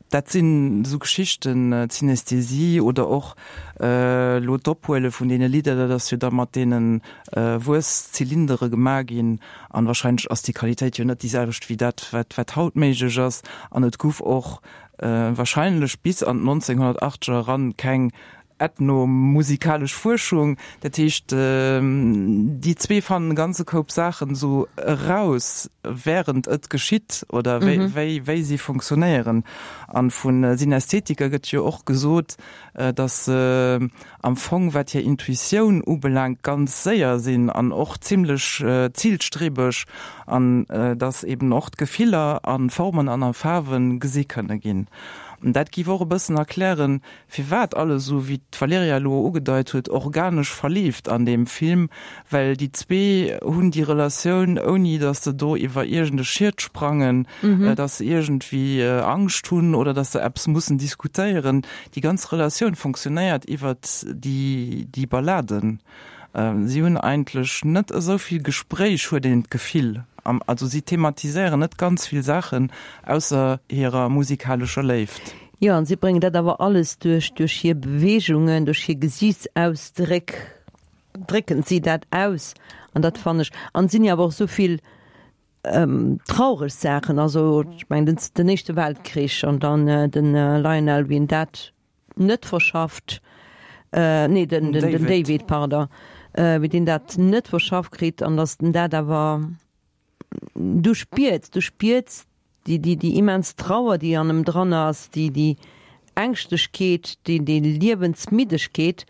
Speaker 3: dat sinn esou Geschichten, d'Synästhesie oder och elo d'Ophuele vun deene Lidder, dat ass jo da mat deene Wuess-Zylindere gemaach ginn an wahrscheinlech ass déi Qualitéit jo net déi selwecht wéi dat, wat haut méiglech ass. An et guff och wahrscheinlech bis an d'1980er eran keng ethnomusikalesch Fuerschung. Dat heescht, déi zwee fannen e ganze Koup Saachen esou eraus, während et geschitt oder wéi, wéi si funktionéieren. An vu Synästhetiker gëtt jo och gesot, datt se am Fong, wat hir Intuitioun ubelaangt, ganz séier sinn an och zimlech zilstrebeg an datt eben och d'Gefiller a Formen an a Faarwe gesi kënne ginn. An dat géif och e bëssen erklären, firwat alles esou, wéi d'Valerija elo ugedeit huet, organesch verleeft an deem Film, well déi zwee hunn déi Relatioun, ouni datt se do iwwer iergend e Schiet sprangen, datt se iergendwéi Angscht hunn oder datt se eppes mussen diskutéieren. Déi ganz Relatioun fonctionnéiert iwwert déi Balladen. Si hunn eigentlech net esou vill Gespréich, huet een d'Gefill. Also si thematiséieren net ganz vill Saachen, ausser hirer musikalescher Léift.
Speaker 4: Jo, an si bréngen dat awer alles duerch duerch hir Beweegungen, duerch hir Gesiichtsausdréck drécken si dat aus. An dat fannen ech, an et sinn jo awer och esou vill traureg Saachen, also ech mengen den den Éischte Weltkrich an dann den Lionel, wéi en dat net verschafft, nee den den den David, pardon, wéi deen dat net verschafft kritt an datt en dat awer du spiers, du spiers déi, déi, déi immens Trauer, déi an em dran ass, déi, déi Ängschtlechkeet, déi, déi Liewensmiddegkeet,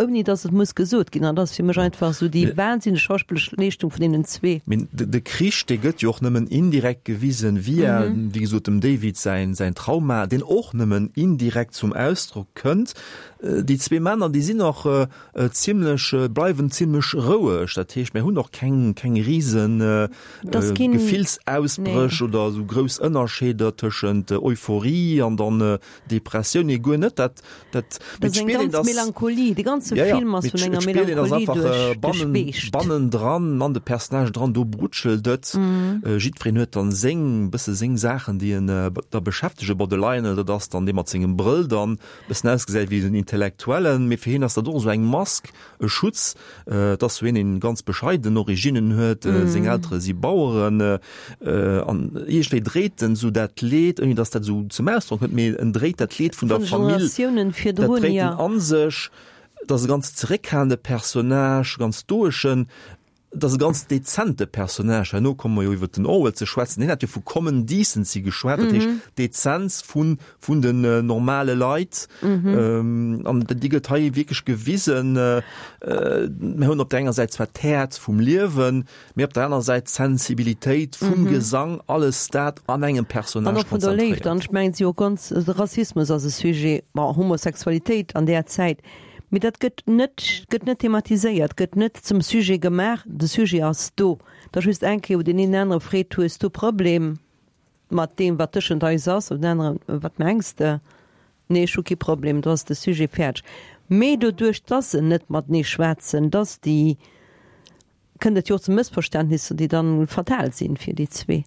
Speaker 4: ouni dass et muss gesot ginn. An dat ass fir mech einfach esou déi wahnsinneg schauspillesch Leeschtung vun deenen zwee.
Speaker 2: Mee de Krich, dee gëtt jo och nëmmen indirekt gewisen, via, wéi gesot, dem David säin, säin Trauma, deen och nëmmen indirekt zum Ausdrock kënnt. Déi zwee Männer, déi sinn och zimlech, bleiwen zimlech roueg. Dat heescht, mir hunn och keng, keng risen Gefillsausbréch oder esou grouss Ënnerscheeder tëschent Euphorie an dann Depressioun. Nee, guer net. Dat,
Speaker 4: dat, mee et spiert een, dass. Melancholie, de ganze Film ass vun enger Melancholie
Speaker 2: duerchgespeescht. Bannendran, an de Personnagen dran, do brutschelt et. Jiddwereen huet dann seng, bësse seng Saachen, déi en da beschäftegen. Bon, de Lionel, dat ass dann dee mat sengem Brëll dann, bëssen ausgesäit wéi en Intellektuellen, mee fir hien ass dat och esou eng Mask, e Schutz. Et ass sou een, deen ganz bescheiden Originnen huet, seng Eltere si Baueren an iergendwéi dréit en esou dat Leed, ouni datt dat esou zum Ausdrock kënnt, mee en dréit dat Leed vun der Famill, dat dréit en a sech. Et ass e ganz zeréckhalende Personnage, ganz stoeschen. Et ass e ganz dezente Personnage. Herno komme mer jo iwwert den Orwell ze schwätzen. Hien hat jo vu common decency geschwat, dat heescht Dezenz vun, vun den normale Leit. An déi gëtt hei wierklech gewisen. Mir hunn op der enger Säit zwar d'Häerz vum Liewen, mee op der anerer Säit d'Sensibilitéit vum Gesang, alles dat an engem Personnage
Speaker 4: konzentréiert. An och vun der Léift. An ech mengen, et si jo och ganz, de Rassismus ass e Sujet, bon, Homosexualitéit an där Zäit. Mee dat gëtt net, gëtt net thematiséiert, gëtt net zum Sujet gemaach. De Sujet ass do. Et ass just eng Kéier, wou deen een den anere freet, Hues du e Problem mat deem, wat tëschent eis ass? An den aneren, Wat mengs de? Nee, ech hu kee Problem. Do ass de Sujet fäerdeg. Mee doduerch, dass se net matenee schwätzen, dass déi kënnt et jo och zu Mëssverständnisser, déi dann fatal sinn fir déi zwee.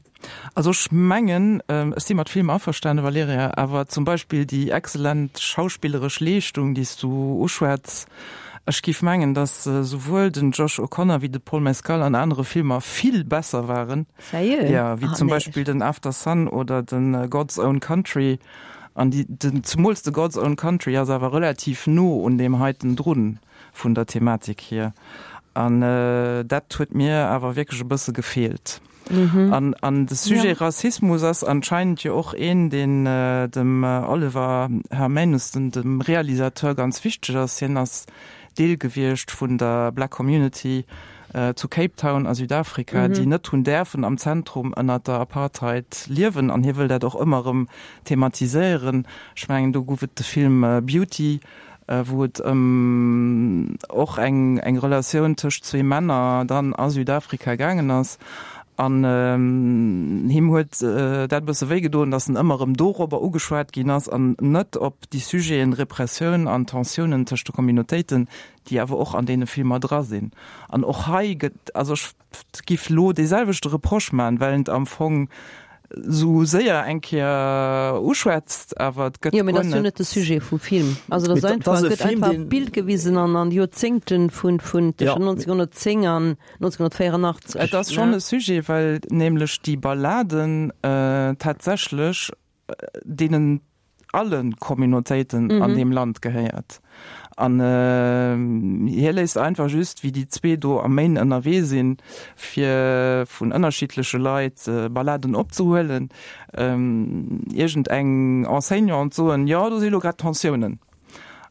Speaker 3: Also ech mengen, ech si mat villem averstane, Valerija, awer zum Beispill déi excellent schauspilleresch Leeschtung, déi s du uschwätz, ech géif mengen, datt souwuel den Josh O'Connor wéi de Paul Mescal an anere Filmer vill besser waren,
Speaker 4: Sérieux?
Speaker 3: jo, wéi zum Beispill den Aftersun oder de God's Own Country. An déi, den, zemools de God's Own Country ass awer relativ no un deem heiten drun. vun der Thematik hier. An dat huet mir awer wierklech e bësse gefeelt. An, an de Sujet Rassismus ass anscheinend jo och een, deen dem Oliver Hermanus, den, dem Realisateur, ganz wichteg ass. Hien ass Deel gewiescht vun der Black Community zu Cape Town a Südafrika, déi net hunn däerfen am Zentrum ënnert der Apartheid liewen. An hie wëll dat och ëmmer erëm thematiséieren. Ech mengen, do gouf et de Film Beauty, wou et ëm och eng eng Relatioun tëscht zwee Männer dann a Südafrika gaangen ass. An him huet dat e bësse wéi gedoen, datt en ëmmer erëm dorobber ugeschwat ginn ass an net op déi Sujeten Repressioun an Tensiounen tëscht de Communautéiten, déi awer och an deene Filmer dra sinn. An och hei gëtt, also ech giff lo dee selwechte Reproche man, well en am Fong sou séier eng Kéier uschwätzt, awer et gëtt
Speaker 4: Jo, mee dat ass jo net de Sujet vum Film. Also dat ass einfach, et gëtt einfach e Bild gewisen an an Joerzéngten vun vun tëschent 1910 an 1984.
Speaker 3: Et ass schonn e Sujet, well nämlech déi Balladen tatsächlech deenen alle Communautéiten an deem Land gehéiert. An hie léisst einfach just, wéi déi zwee do am Maine ënnerwee sinn, fir vun ënnerschiddleche Leit Balladen opzehuelen, iergend eng Enseignante soen, jo, do si lo grad Tensiounen.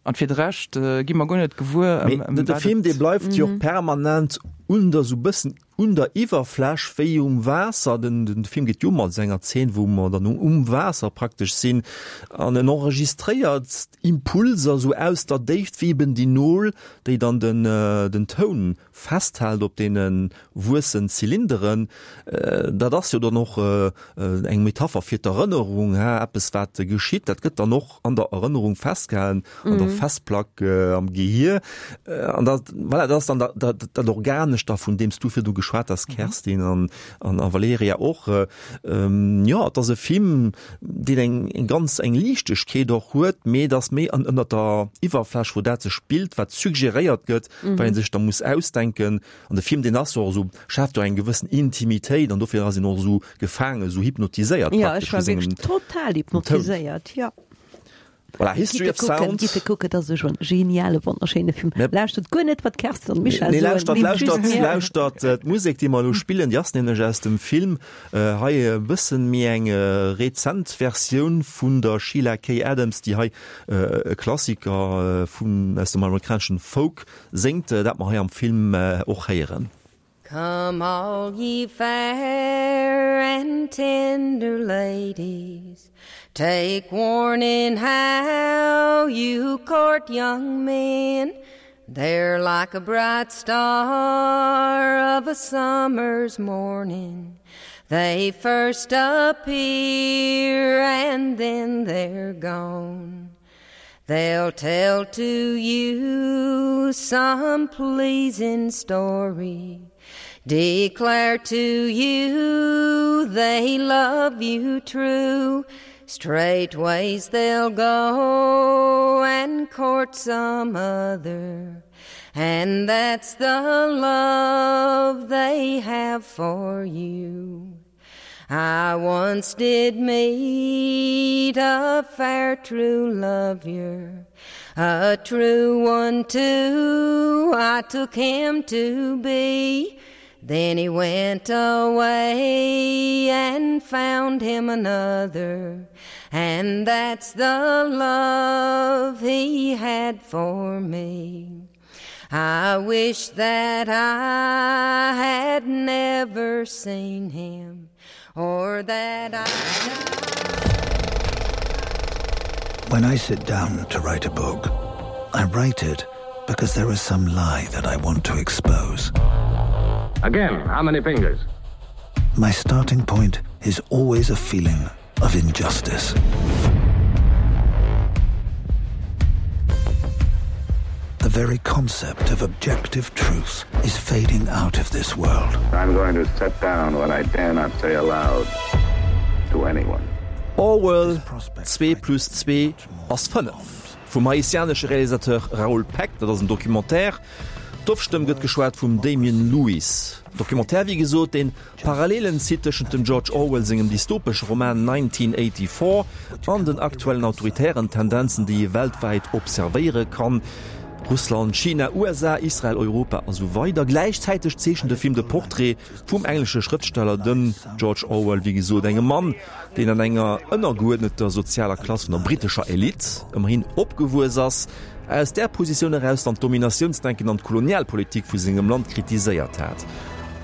Speaker 3: An fir de Rescht gi mer guer net gewuer,
Speaker 2: ëm wat et. De Film, dee bleift jo och permanent un der, sou bëssen un der Iwwerfläch wéi um Waasser. Den, den Film geet jo mat enger Zeen, wou mer dann um Waasser praktesch sinn an en enregistréiert Impulser sou aus der Déift, wéi eben déi Nol, déi dann den, den Toun festhält op deene wuessen Zylinderen. Dat ass jo dann och eng Metapher fir d'Erënnerung, he, eppes wat geschitt, dat gëtt dann och an der Erënnerung festgehalen, an der Festplack am Gehier. An dat, voilà, dat ass dann dat, dat, dat Organescht da, vun deem s du virdu geschwat has, Kerstin an, an, a Valerija och. Jo, et ass e Film, deen eng, eng ganz eng Liichtegkeet och huet, mee et ass méi an, ënnert der Iwwerfläch, wou dat sech spillt, wat suggeréiert gëtt, wat ee sech da muss ausdenken. An de Film, deen ass jo och esou, schaaft jo eng gewëssen Intimitéit an dofir ass een och esou gefaangen, esou hypnotiséiert
Speaker 4: praktesch. Ja, ech war wierklech total hypnotiséiert, jo.
Speaker 2: Voilà, History of Sound.
Speaker 4: Gitt e kucken, dat ass e schon geniale, wonnerschéine Film. Lauschtert guer net, wat d'Kerstin an d'Michèle
Speaker 2: soen. Nee, lauschtert, lauschtert, lauschtert d'Musek, déi mer elo spillen, déi ass nämlech aus dem Film. Hei e bëssen méi eng rezent Versioun vun der Sheila Kay Adams, déi hei e Klassiker vun, aus dem amerikaneschen Folk séngt, dat mer hei am Film och héieren.
Speaker 9: Come all ye fair and tender ladies, Take warning how you court young men, They're like a bright star of a summer's morning, They first appear and then they're gone. They'll tell to you some pleasing story, Declare to you they love you true, Straightways they'll go and court some other, And that's the love they have for you. I once did meet a fair true lovier, A true one too I took him to be. Then he went away and found him another, And that's the love he had for me. I wish that I had never seen him or that I
Speaker 5: When I sit down to write a book, I write it. Because there is some lie that I want to expose.
Speaker 10: Again, how many fingers?
Speaker 5: My starting point is always a feeling of injustice. The very concept of objective truth is fading out of this world.
Speaker 10: I'm going to set down what I dare not say aloud to anyone.
Speaker 2: Orwell, Zwee plus zwee ass 5 vum haitianesche Realisateur Raoul Peck, dat ass en Documentaire. D'Offstëmm gëtt geschwat vum Damian Lewis. Documentaire, wéi gesot, deen Parallelen zitt tëschent dem George Orwell sengem dystopesche Roman 1984 an den aktuellen autoritären Tendenzen, déi ee weltwäit observéiere kann, Russland, China, USA, Israel, Europa a sou weider. Gläichzäiteg zeechent de Film de Portrait vum englesche Schrëftsteller, dem George Orwell, wéi gesot, engem Mann, deen an enger ënnergeuerdneter sozialer Klass vun der brittescher Elite ëmmerhin opgewuess ass, aus där Positioun eraus dann d'Dominatiounsdenken an d'Kolonialpolitik vu sengem Land kritiséiert hat.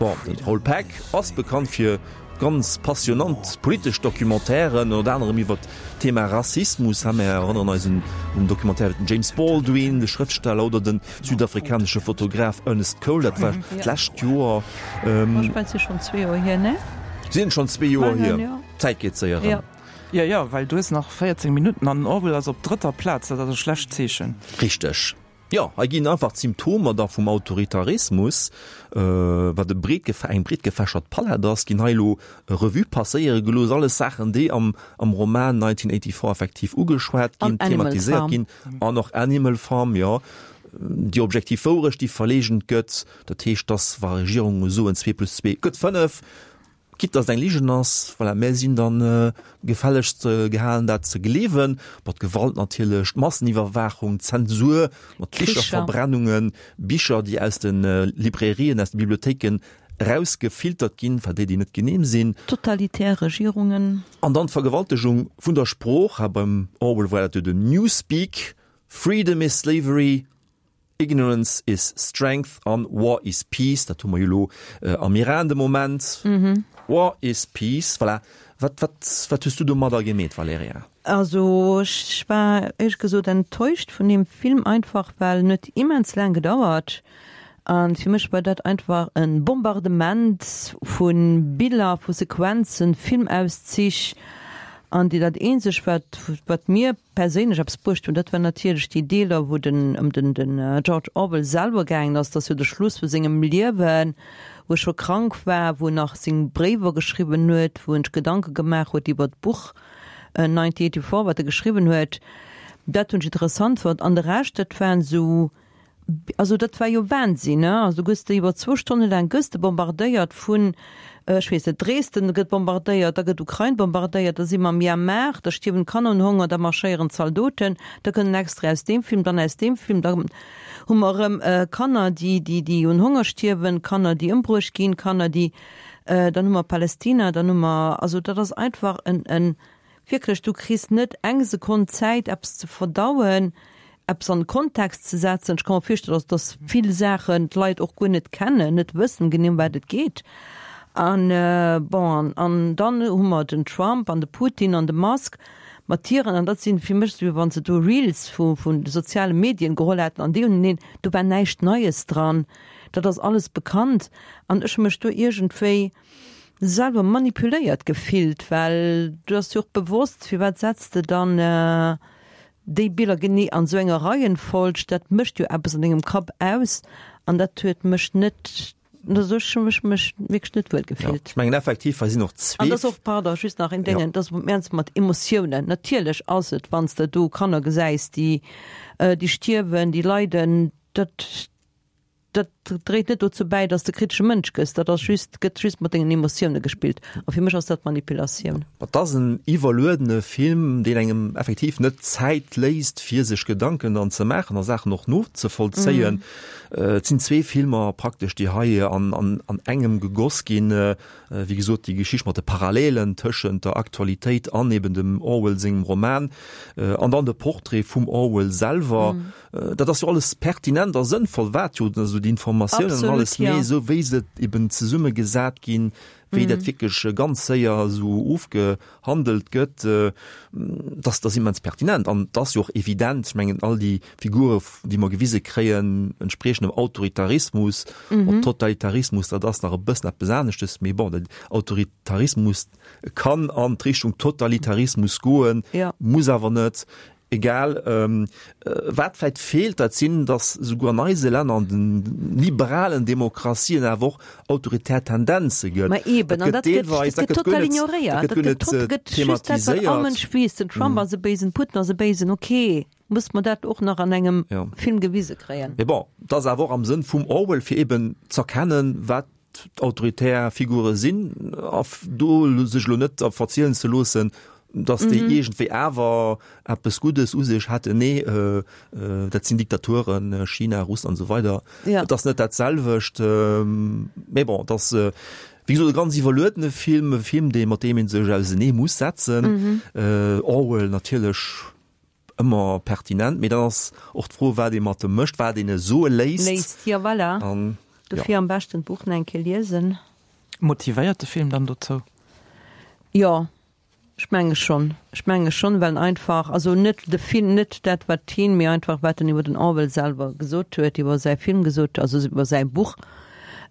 Speaker 2: Bon, de Raoul Peck ass bekannt fir ganz passionant politesch Documentairen, ënnert anerem iwwer d'Thema Rassismus. Ha mir erënneren eis un den Documentaire iwwer den James Baldwin, de Schrëftsteller, oder de südafrikanesche Fotograf Ernest Cole, dat war d'lescht Joer.
Speaker 4: Ech mengen, et si schonn zwee Joer hier, ne?
Speaker 2: Sinn schonn zwee Joer hier. D'Zäit geet séier erëm.
Speaker 3: Jo, jo, well du hues nach 14 Minutten an den Orwell ass op drëtter Plaz, dat ass e schlecht Zeechen.
Speaker 2: Richteg. Jo, hei ginn einfach d'Symptomer da vum Autoritarismus, wat e breet eng breet gefächert Palett ass, ginn hei elo Revue passéiere gelooss. Alles Saachen, déi am am Roman 1984 effektiv ugeschwat ginn, thematiséiert ginn. An och Animal Farm, jo. Déi objektiv Wourecht, déi verleegent gëtt, dat heescht, dass wa Regierunge soen, zwee plus zwee gëtt fënnef, Quitte dass et eng Ligen ass, voilà, mär sinn dann gefällegst gehalen dat ze gleewen. Bon, d'Gewalt natierlech, d'Masseniwwerwaachung, d'Zensur mat Bicherverbrennungen, Bicher déi aus de Librairien, aus de Bibliothéiken erausgefiltert ginn, enfin déi déi net genehm sinn.
Speaker 4: Totalitär Regierungen.
Speaker 2: An dann d'Vergewaltegung vun der Sprooch, ha beim Orwell war dat jo den Newspeak, Freedom is slavery, Ignorance is strength an War is peace, dat hu mer jo elo am Iran de Moment. War is peace, voilà. Wat, wat, wat hues du domadder gemeet, Valerija?
Speaker 4: Also ech war éierlech gesot enttäuscht vun deem Film, einfach well en huet immens laang gedauert an fir mech war dat einfach e Bombardement vu Biller, vu Sequenzen, Filmauszich an déi dat eenzeg wat, wat mir perséinlech eppes bruecht hunn, dat war natierlech déi Deeler, wou den ëm den den George Orwell selwer gaangen ass. Dat ass jo de Schluss vu sengem Liewen, wou e scho krank war, wou en nach seng Bréiwer geschriwwen huet, wou en sech Gedanke gemaach huet iwwer d'Buch 1984, wat e geschriwwen huet. Dat hunn ech interessant fonnt. An de Rescht, dat waren esou Also dat war jo Wahnsinn, ne? Also du gëss de iwwer zwou Stonne laang gëss de bombardéiert vun, ech weess net, Dresden gëtt bombardéiert, da gëtt Ukrain bombardéiert, da si mer am Myanmar, da stierwen d'Kanner un Honger, da marschéieren d'Zaldoten, da kënnt en Extrait aus deem Film, dann aus deem Film, da hu mer erëm Kanner, déi, déi, déi un Honger stierwen, Kanner, déi ëmbruecht ginn, Kanner, déi, dann hu mer Palästina, dann hu mer, also dat ass einfach en, en, Wierklech, du kriss net eng Sekonn Zäit, eppes ze verdauen, eppes an den Kontext ze setzen. Ech ka mer virstellen, dass, dass vill Saachen d'Leit och guer net kennen, net wëssen genee, ëm wat et geet. An, bon, an, an dann hu mer den Trump an de Putin an de Musk mat hiren, an dat sinn fir mech esou, wéi wann se do Reels vu, vun de soziale Medien geholl hätten an déi hunn, do war näischt Neies dran, dat ass alles bekannt. An ech hu mech do iergendwéi, selwer manipuléiert gefillt, well du ass jo och bewosst, firwat setz de dann déi Biller genee an esou enger Reihenfolg, dat mécht jo eppes an dengem Kapp aus an dat huet mech net, also ech hu mech mech wierklech net wuel gefillt.
Speaker 2: Ech mengen effektiv, hei sinn och zwee.
Speaker 4: An dat ass och, pardon, just nach een Déngen, dat ass ernst mat Emotiounen, natierlech ass et, wann s de do Kanner gesäis, déi déi stierwen, déi leiden, dat. Dat dréit net dozou bäi, dass de kritesche Mënsch gëss. Dat ass just, gëtt just mat dengen Emotioune gespillt. A fir mech ass dat Manipulatioun.
Speaker 2: Et ass en iwwerluedene Film, deen engem effektiv net d'Zäit léisst, fir sech Gedanken dann ze maachen a Saachen och nozevollzéien. Et sinn zwee Filmer praktesch, déi hei an an engem gegoss ginn. Wéi gesot, déi Geschicht mat de Parallelen tëschent der Aktualitéit an eben dem Orwell sengem Roman an dann de Portrait vum Orwell selwer. Dat ass jo alles pertinent a sënnvoll, wat jo esou déi Informatioun. Informatiounen an alles, mee esou wéi se eben zesummegesat ginn, wéi dat wierklech ganz séier esou ofgehandelt gëtt, dass ass immens pertinent. An et ass jo och evident, ech mengen all déi Figure, déi mer gewise kréien, entspriechen dem Autoritarismus. Bon, Totalitarismus, dat ass nach e bëssen eppes aneschtes, mee bon, den Autoritarismus kann an d'Richtung Totalitarismus goen, muss awer net. Egal, wat vläit feelt, dat sinn, datt esouguer an eise Länner, an de liberalen Demokratien awer och autoritär Tendenze gëtt.
Speaker 4: Ma eben, an dat gëtt deelweis, dat gëtt total ignoréiert. Dat gëtt guer net thematiséiert. All Mënsch weess, den Trump ass e Béisen, Putin ass e Béisen, okay, muss mer dat och nach an engem Film gewise kréien.
Speaker 2: Mee bon, et ass awer och am Sënn vum Orwell, fir eben z'erkennen, wat d'autoritär Figure sinn a do sech elo net verzielen ze loossen, datt déi iergendwéi awer eppes Guddes u sech hätten. Nee, dat sinn Diktaturen, China, Russland an esou weider. Et ass net dat selwecht. Mee bon, et ass wéi gesot e ganz iwwerluedene Film, e Film, dee mat deem ee sech ausenee muss setzen. Orwell natierlech Ëmmer pertinent, mee dann ass och d'Fro, wat ee mat em mécht, wat een e soe léisst.
Speaker 4: Léisst, jo voilà.
Speaker 2: An,
Speaker 4: jo. Dofir am beschten d'Buch nach eng Kéier liesen.
Speaker 3: Motivéiert de Film dann dozou?
Speaker 4: Jo, ech menge schonn. Ech menge schonn, well en einfach, also net de Film, net dat wat hien, mee einfach wat en iwwer den Orwell selwer gesot huet, iwwer säi Film gesot, also iwwer säi Buch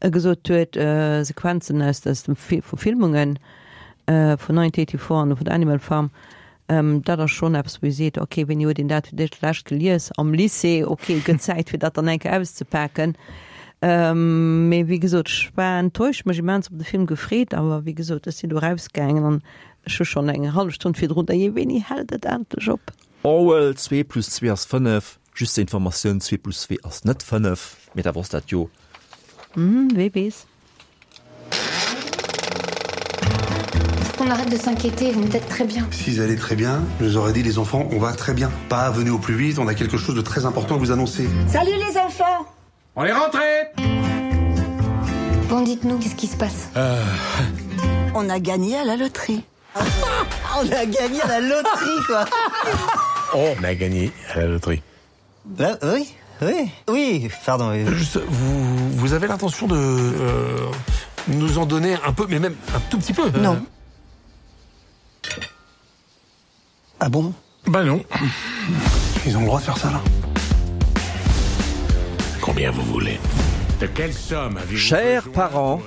Speaker 4: gesot huet, Sequenzen aus aus dem vu Filmungen vun 1984 an vun Animal Farm, Dat ass schonn eppes, wou ee seet, ok, wéini huet een dat fir d'éischt gelies? Am Lycée, ok, gëtt Zäit fir dat dann eng Kéier auszepaken. Mee wéi gesot, ech war enttäuscht, mech immens op de Film gefreet, awer wéi gesot, ech sinn do erausgaangen an ech hu schonn eng hallef Stonn virdrun, Dajee, wéini hält et endlech op?
Speaker 2: Orwell, Zwee plus zwee ass fënnef. Just zur Informatioun, Zwee plus zwee ass net fënnef, mee da wosst dat jo.
Speaker 4: Wee weess.
Speaker 11: On arrête de s'inquiéter, vous peut-être très bien.
Speaker 12: S'ils allaient très bien, nous aurait dit les enfants, on va très bien. Pas venez au plus vite, on a quelque chose de très important à vous annoncer.
Speaker 11: Salut les enfants
Speaker 13: On est rentré
Speaker 11: Bon, dites-nous, qu'est-ce qui se passe
Speaker 13: euh...
Speaker 14: On a gagné à la loterie. On a gagné à la loterie, quoi
Speaker 13: On a gagné à la loterie.
Speaker 14: Là, oui, oui, oui, pardon. Oui.
Speaker 13: Juste, vous, vous avez l'intention de euh, nous en donner un peu, mais même un tout petit peu.
Speaker 14: Non. Ah bon
Speaker 13: Bah non.
Speaker 12: Ils ont le droit de faire ça là.
Speaker 13: Combien vous voulez De quelle somme avez-vous
Speaker 2: Chers parents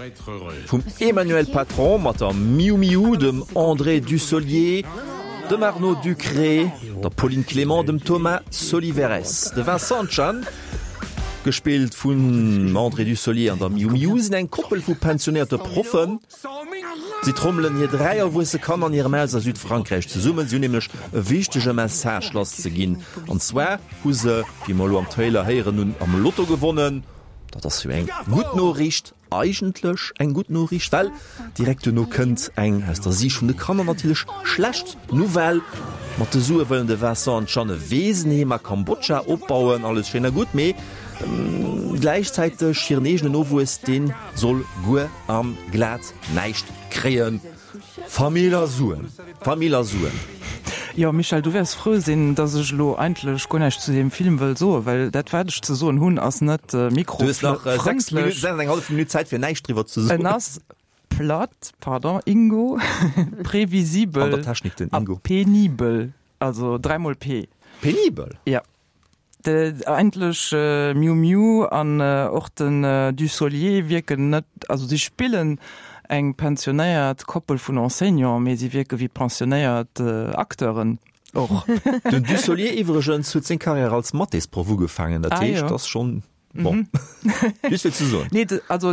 Speaker 2: vum Emmanuel Patron mat der Miu Miu, dem André Dussolier, dem Arnaud Ducré, der Pauline Clement, dem Thomas Soliveres. De Vincent Chan, gespillt vun André Dussolier an der Miu Miu, sinn eng Koppel vu pensionéierte Proffen. Si trommelen hir 3 erwuesse Kanner an hirem Haus a Südfrankräich zesummen. Si hunn nämlech e wichtege Message lasszeginn. An zwar hu se, wéi mer elo am Trailer héieren hunn, am Lotto gewonnen. Dat ass jo eng gutt Noriicht. Eigentlech eng gutt Noriicht, well direkt duerno kënnt eng, aus der Siicht vun de Kanner natierlech, schlecht Nouvelle. Mat de Sue wëllen de Vincent an d'Jeanne e Weesenheem a Kambodscha opbauen. Alles schéin a gutt, mee gläichzäiteg hiren eegenen Nowuess, dee soll guer a glat näischt kréien. Famill a Suen, Famill a Suen.
Speaker 3: Jo, Michèle, du wäers frou sinn, dass ech elo eigentlech guer näischt zu deem Film wëll soen, well dat, wat ech ze soen hunn, ass net
Speaker 2: Du hues nach 6 Minutten, 6 an eng hallef Minutt Zäit, fir näischt driwwer ze soen.
Speaker 3: En ass platt, pardon, Ingo, previsibel
Speaker 2: An der Technik den
Speaker 3: Ingo. a penibel, also dräimol P.
Speaker 2: Penibel?
Speaker 3: Ja. Eigentlech Miu Miu an och den Dussolier wierken net, also si spillen eng pensionéiert Koppel vun Enseignants, mee si wierke wéi pensionéiert Acteuren och.
Speaker 2: Den Dussolier iwwregens huet seng Karriär als Mathésproff ugefaangen, dat heescht, ass schonn bon, just fir ze soen.
Speaker 3: Nee, also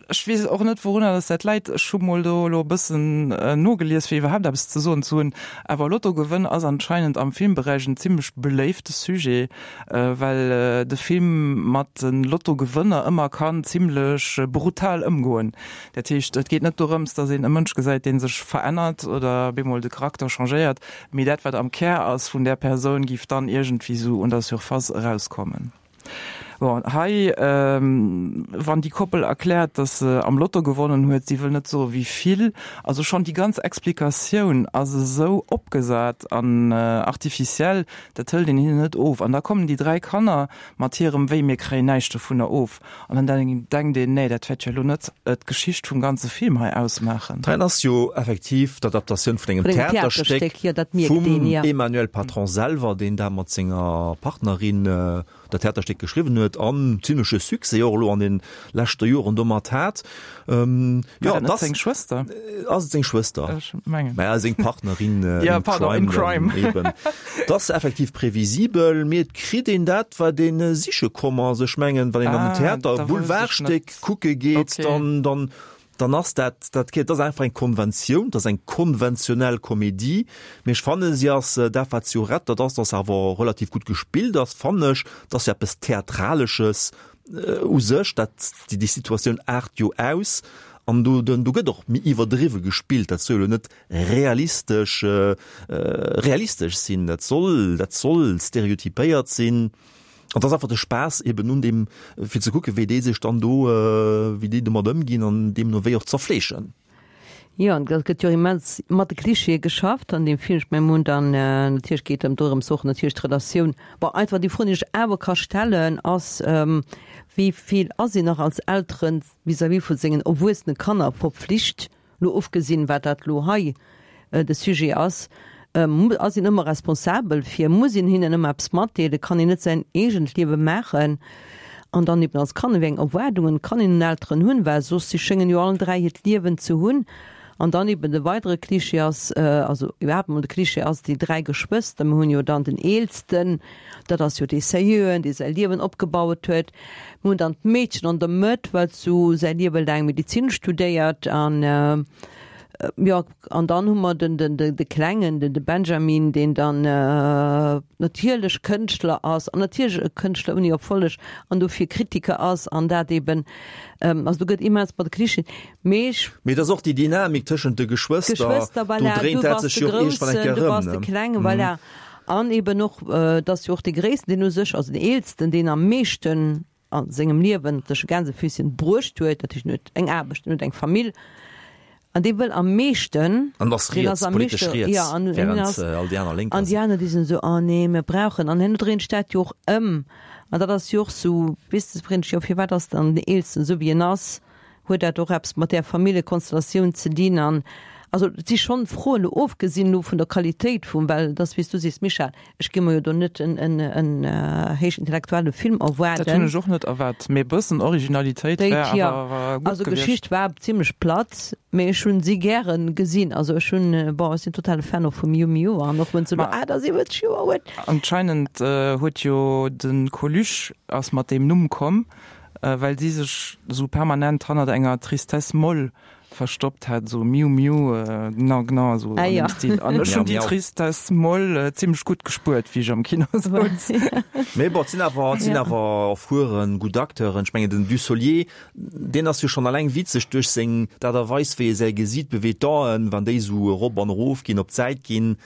Speaker 3: Ech weess och net, wourunner dass dat läit. Ech hu mol do elo e bëssen nogelies, fir iwwerhaapt eppes ze soen ze hunn. Awer Lottogewënn ass anscheinend am Filmberäich en zimmlech beléifte Sujet, well de Film mat de Lottogewënner ëmmer kann zimmlech brutal ëmgoen. Dat heescht, et geet net dorëms, dass een e Mënsch gesäit, dee sech verännert oder bemol de Charakter changéiert, mee dat, wat am Kär ass vun där Persoun, giff dann iergendwéi sou un der Surface erauskommen. Bon, hei, wann déi Koppel erkläert, datt se am Lotto gewonnen huet, si wëll net soe wéi vill, also schonn déi ganz Explikatioun ass esou opgesat an artificiel, dat hëlt een hinnen net of. An da kommen déi 3 Kanner mat hirem Wéi, mir kréien näischt dovunner of. An dann denkt een, nee, dat wäert jo elo net d'Geschicht vum ganze Film hei ausmaachen.
Speaker 2: Dat ass jo effektiv d'Adaptatioun vun engem Theaterstéck vum Emmanuel Patron selwer, deen dat mat senger Partnerin dat Theaterstéck geschriwwen huet an zimleche Succès och elo an de leschte Joren domat hat.
Speaker 3: Jo, dat ass seng Schwëster.
Speaker 2: Ass et seng Schwëster?
Speaker 3: Ech mengen.
Speaker 2: Mä seng Partnerin
Speaker 3: in crime. In crime.
Speaker 2: Eben. Et ass effektiv previsibel, mee et kritt een dat, wat ee siche komm ass. Ech mengen, wann een an den Theater e Boulevardstéck kucke geet, dann, dann, dann ass dat, dat, dat ass einfach eng Konventioun, dat ass eng konventionell Komedie. Mee ech fannen, si ass dat, wat se jo rett, dat ass, dass se awer relativ gutt gespillt ass, fannen ech. Et ass jo eppes Theatralesches u sech, dat, déi Situatioun aart jo aus an do, do gëtt och méi iwwerdriwwe gespillt. Dat soll jo elo net realistesch, realistesch sinn, dat soll, dat soll stereotypéiert sinn. An et ass einfach de Spaass eben un deem, fir ze kucken, wéi déi sech dann do, wéi déi domat ëmginn an deemno wéi och zerfleeschen.
Speaker 4: Jo, an et gëtt jo immens mat de Klischeeë geschafft an deem Film. Ech mengen, mir hunn dann, natierlech geet et dorëms och natierlech d'Relatioun, bon, einfach déi Fro, déi ech awer ka stellen, ass, Wéi vill ass een nach als Eltere vis-à-vis vu sengen erwuessene Kanner verpflicht, Lo ofgesinn, wat dat lo hei de Sujet ass, ass een ëmmer responsabel fir, muss een hinnen ëmmer eppes matdeelen, kann een net säin eegent Liewe maachen? An dann eben als Kanner, wéi eng Erwaardungen kann een un Elteren hunn, well soss, si schéngen jo allen 3 hiert Liewen ze hunn. An dann eben de weidere Klischee ass, also iwwerhaapt emol de Klischee ass, déi 3 Geschwëster, mir hunn jo dann den Eelsten, dat ass jo dee Seriöen, dee säi Liewen opgebaut huet, Mir hunn dann d'Meedchen an der Mëtt, wat sou säi Liewe laang Medizin studéiert an jo, an dann hu mer den, den, de Klengen, den, de Benjamin, deen dann natierlech Kënschtler ass an natierlech e Kënschtler ouni Erfolleg an dofir Kritiker ass an dat eben, also do gëtt immens mat de Klischeeën, mee ech.
Speaker 2: Mee et ass och déi Dynamik tëschent de Geschwëster,
Speaker 4: Geschwëster,
Speaker 2: do
Speaker 4: voilà,
Speaker 2: dréint
Speaker 4: du
Speaker 2: dat
Speaker 4: bass
Speaker 2: sech
Speaker 4: de
Speaker 2: jo och iergendwann eng
Speaker 4: Groussen,
Speaker 2: Kéier
Speaker 4: du
Speaker 2: erëm,
Speaker 4: bass de
Speaker 2: ne?
Speaker 4: Klengen, voilà. An eben och, et ass jo och dee Gréissten, deen u sech, also den Eelsten, deen am meeschten a sengem Liewen tësche Gänsefüßchen bruecht huet, dat heescht, en huet eng Aarbecht, en huet eng Famill, an dee wëll am meeschten,
Speaker 2: An ass
Speaker 4: deen
Speaker 2: riets,
Speaker 4: ass am
Speaker 2: politesch
Speaker 4: meeschte,
Speaker 2: riets,
Speaker 4: jo, an en
Speaker 2: während
Speaker 4: ass,
Speaker 2: all déi aner lénk
Speaker 4: an déi
Speaker 2: sinn.
Speaker 4: aner, déi sinn esou, oh nee, mir brauchen, an herno dréint sech dat jo och ëm, an dat ass jo och esou, weess de, freet sech jo, firwat ass dann den Eelsten esou wéi en ass? Huet dat och eppes mat där Familljekonstellatioun ze dinn? An also et si schonn Froen, elo ofgesinn elo vun der Qualitéit vum, well et ass wéi s du sees, Michèle, ech gi mer jo do net en en héich intellektuelle Film
Speaker 3: erwaarden. Dat hunn ech och net erwaart, mee e bëssen Originalitéit wär
Speaker 4: jo, awer gutt also gewiescht. Geschicht war zimlech platt, mee ech hunn si gären gesinn. Also ech hunn, bon, ech sinn totale Fan och vum Miu Miu an och wenn se elo 78 Joer huet.
Speaker 3: Anscheinend huet jo de Coluche ass mat deem Numm komm, well si sech esou permanent hannert enger Tristesse molle verstoppt hat, esou miu miu, gna gna, esou an deem Stil. An ech hunn déi Tristesse molle zimmlech gutt gespuert, wéi ech am Kino souz.
Speaker 2: Mee bon, et sinn awer, et sinn awer erfueren, gutt Acteuren. Ech mengen, den Dussolier, deen ass jo schonn alleng witzeg duerch seng, d'Aart a Weis, wéi e säi Gesiit beweegt, d'Aen, wann déi esou erop an erof ginn, op d'Säit ginn.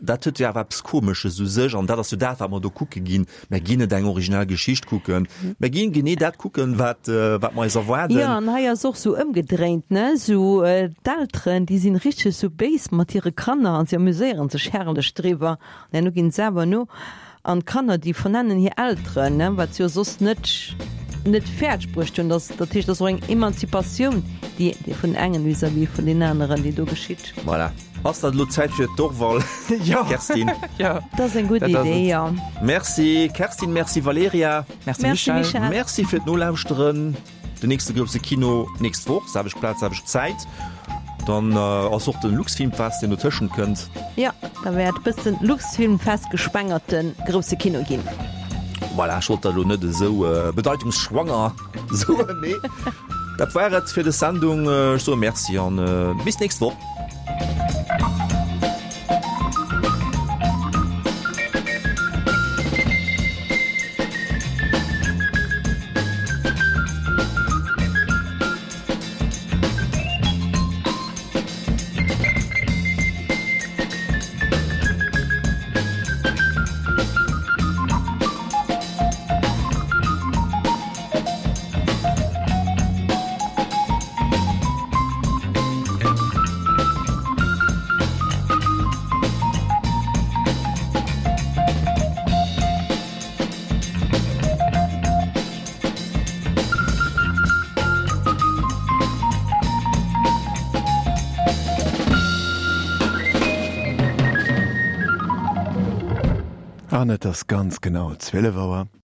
Speaker 2: Dat huet jo awer eppes Komesches u sech an dat ass jo dat, wat mer do kucke ginn. Mer ginn net eng originell Geschicht kucken, mer ginn genee dat kucken, wat, wat mer eis erwaarden.
Speaker 4: Jo, an hei ass och sou ëmgedréint, ne, sou d'Elteren, déi sinn richteg sou béis mat hire Kanner an si amuséieren sech herrlech driwwer an herno ginn se awer no. An d'Kanner, déi vernennen hir Elteren, ne, wat se jo soss net, net fäerdeg bruecht hunn. Dass, dat heescht, dat ass och eng Emanzipatioun, déi, déi vun engen vis-à-vis vun den aneren, déi do geschitt.
Speaker 2: Voilà. Ass dat elo Zäit fir d'Orval, Kerstin?
Speaker 3: Jo.
Speaker 4: Dat ass eng gutt Idee, jo.
Speaker 2: Merci Kerstin, merci Valerija.
Speaker 3: Merci Michèle.
Speaker 2: Merci fir d'Nolauschteren. Den nächste grousse Kino nächst Woch, selwecht Plaz, selwecht Zäit. Dann ass och den Luxfilmfest, deen dotëschent kënnt.
Speaker 4: Jo, da wäert bëssen Luxfilmfest geschwängerte grousse Kino ginn.
Speaker 2: Voilà, ech wollt dat elo net esou bedeitungsschwanger soen, mee dat war et fir des Sendung. Ech soe Merci an bis nächst Woch.
Speaker 15: An et ass ganz genau 12 Auer.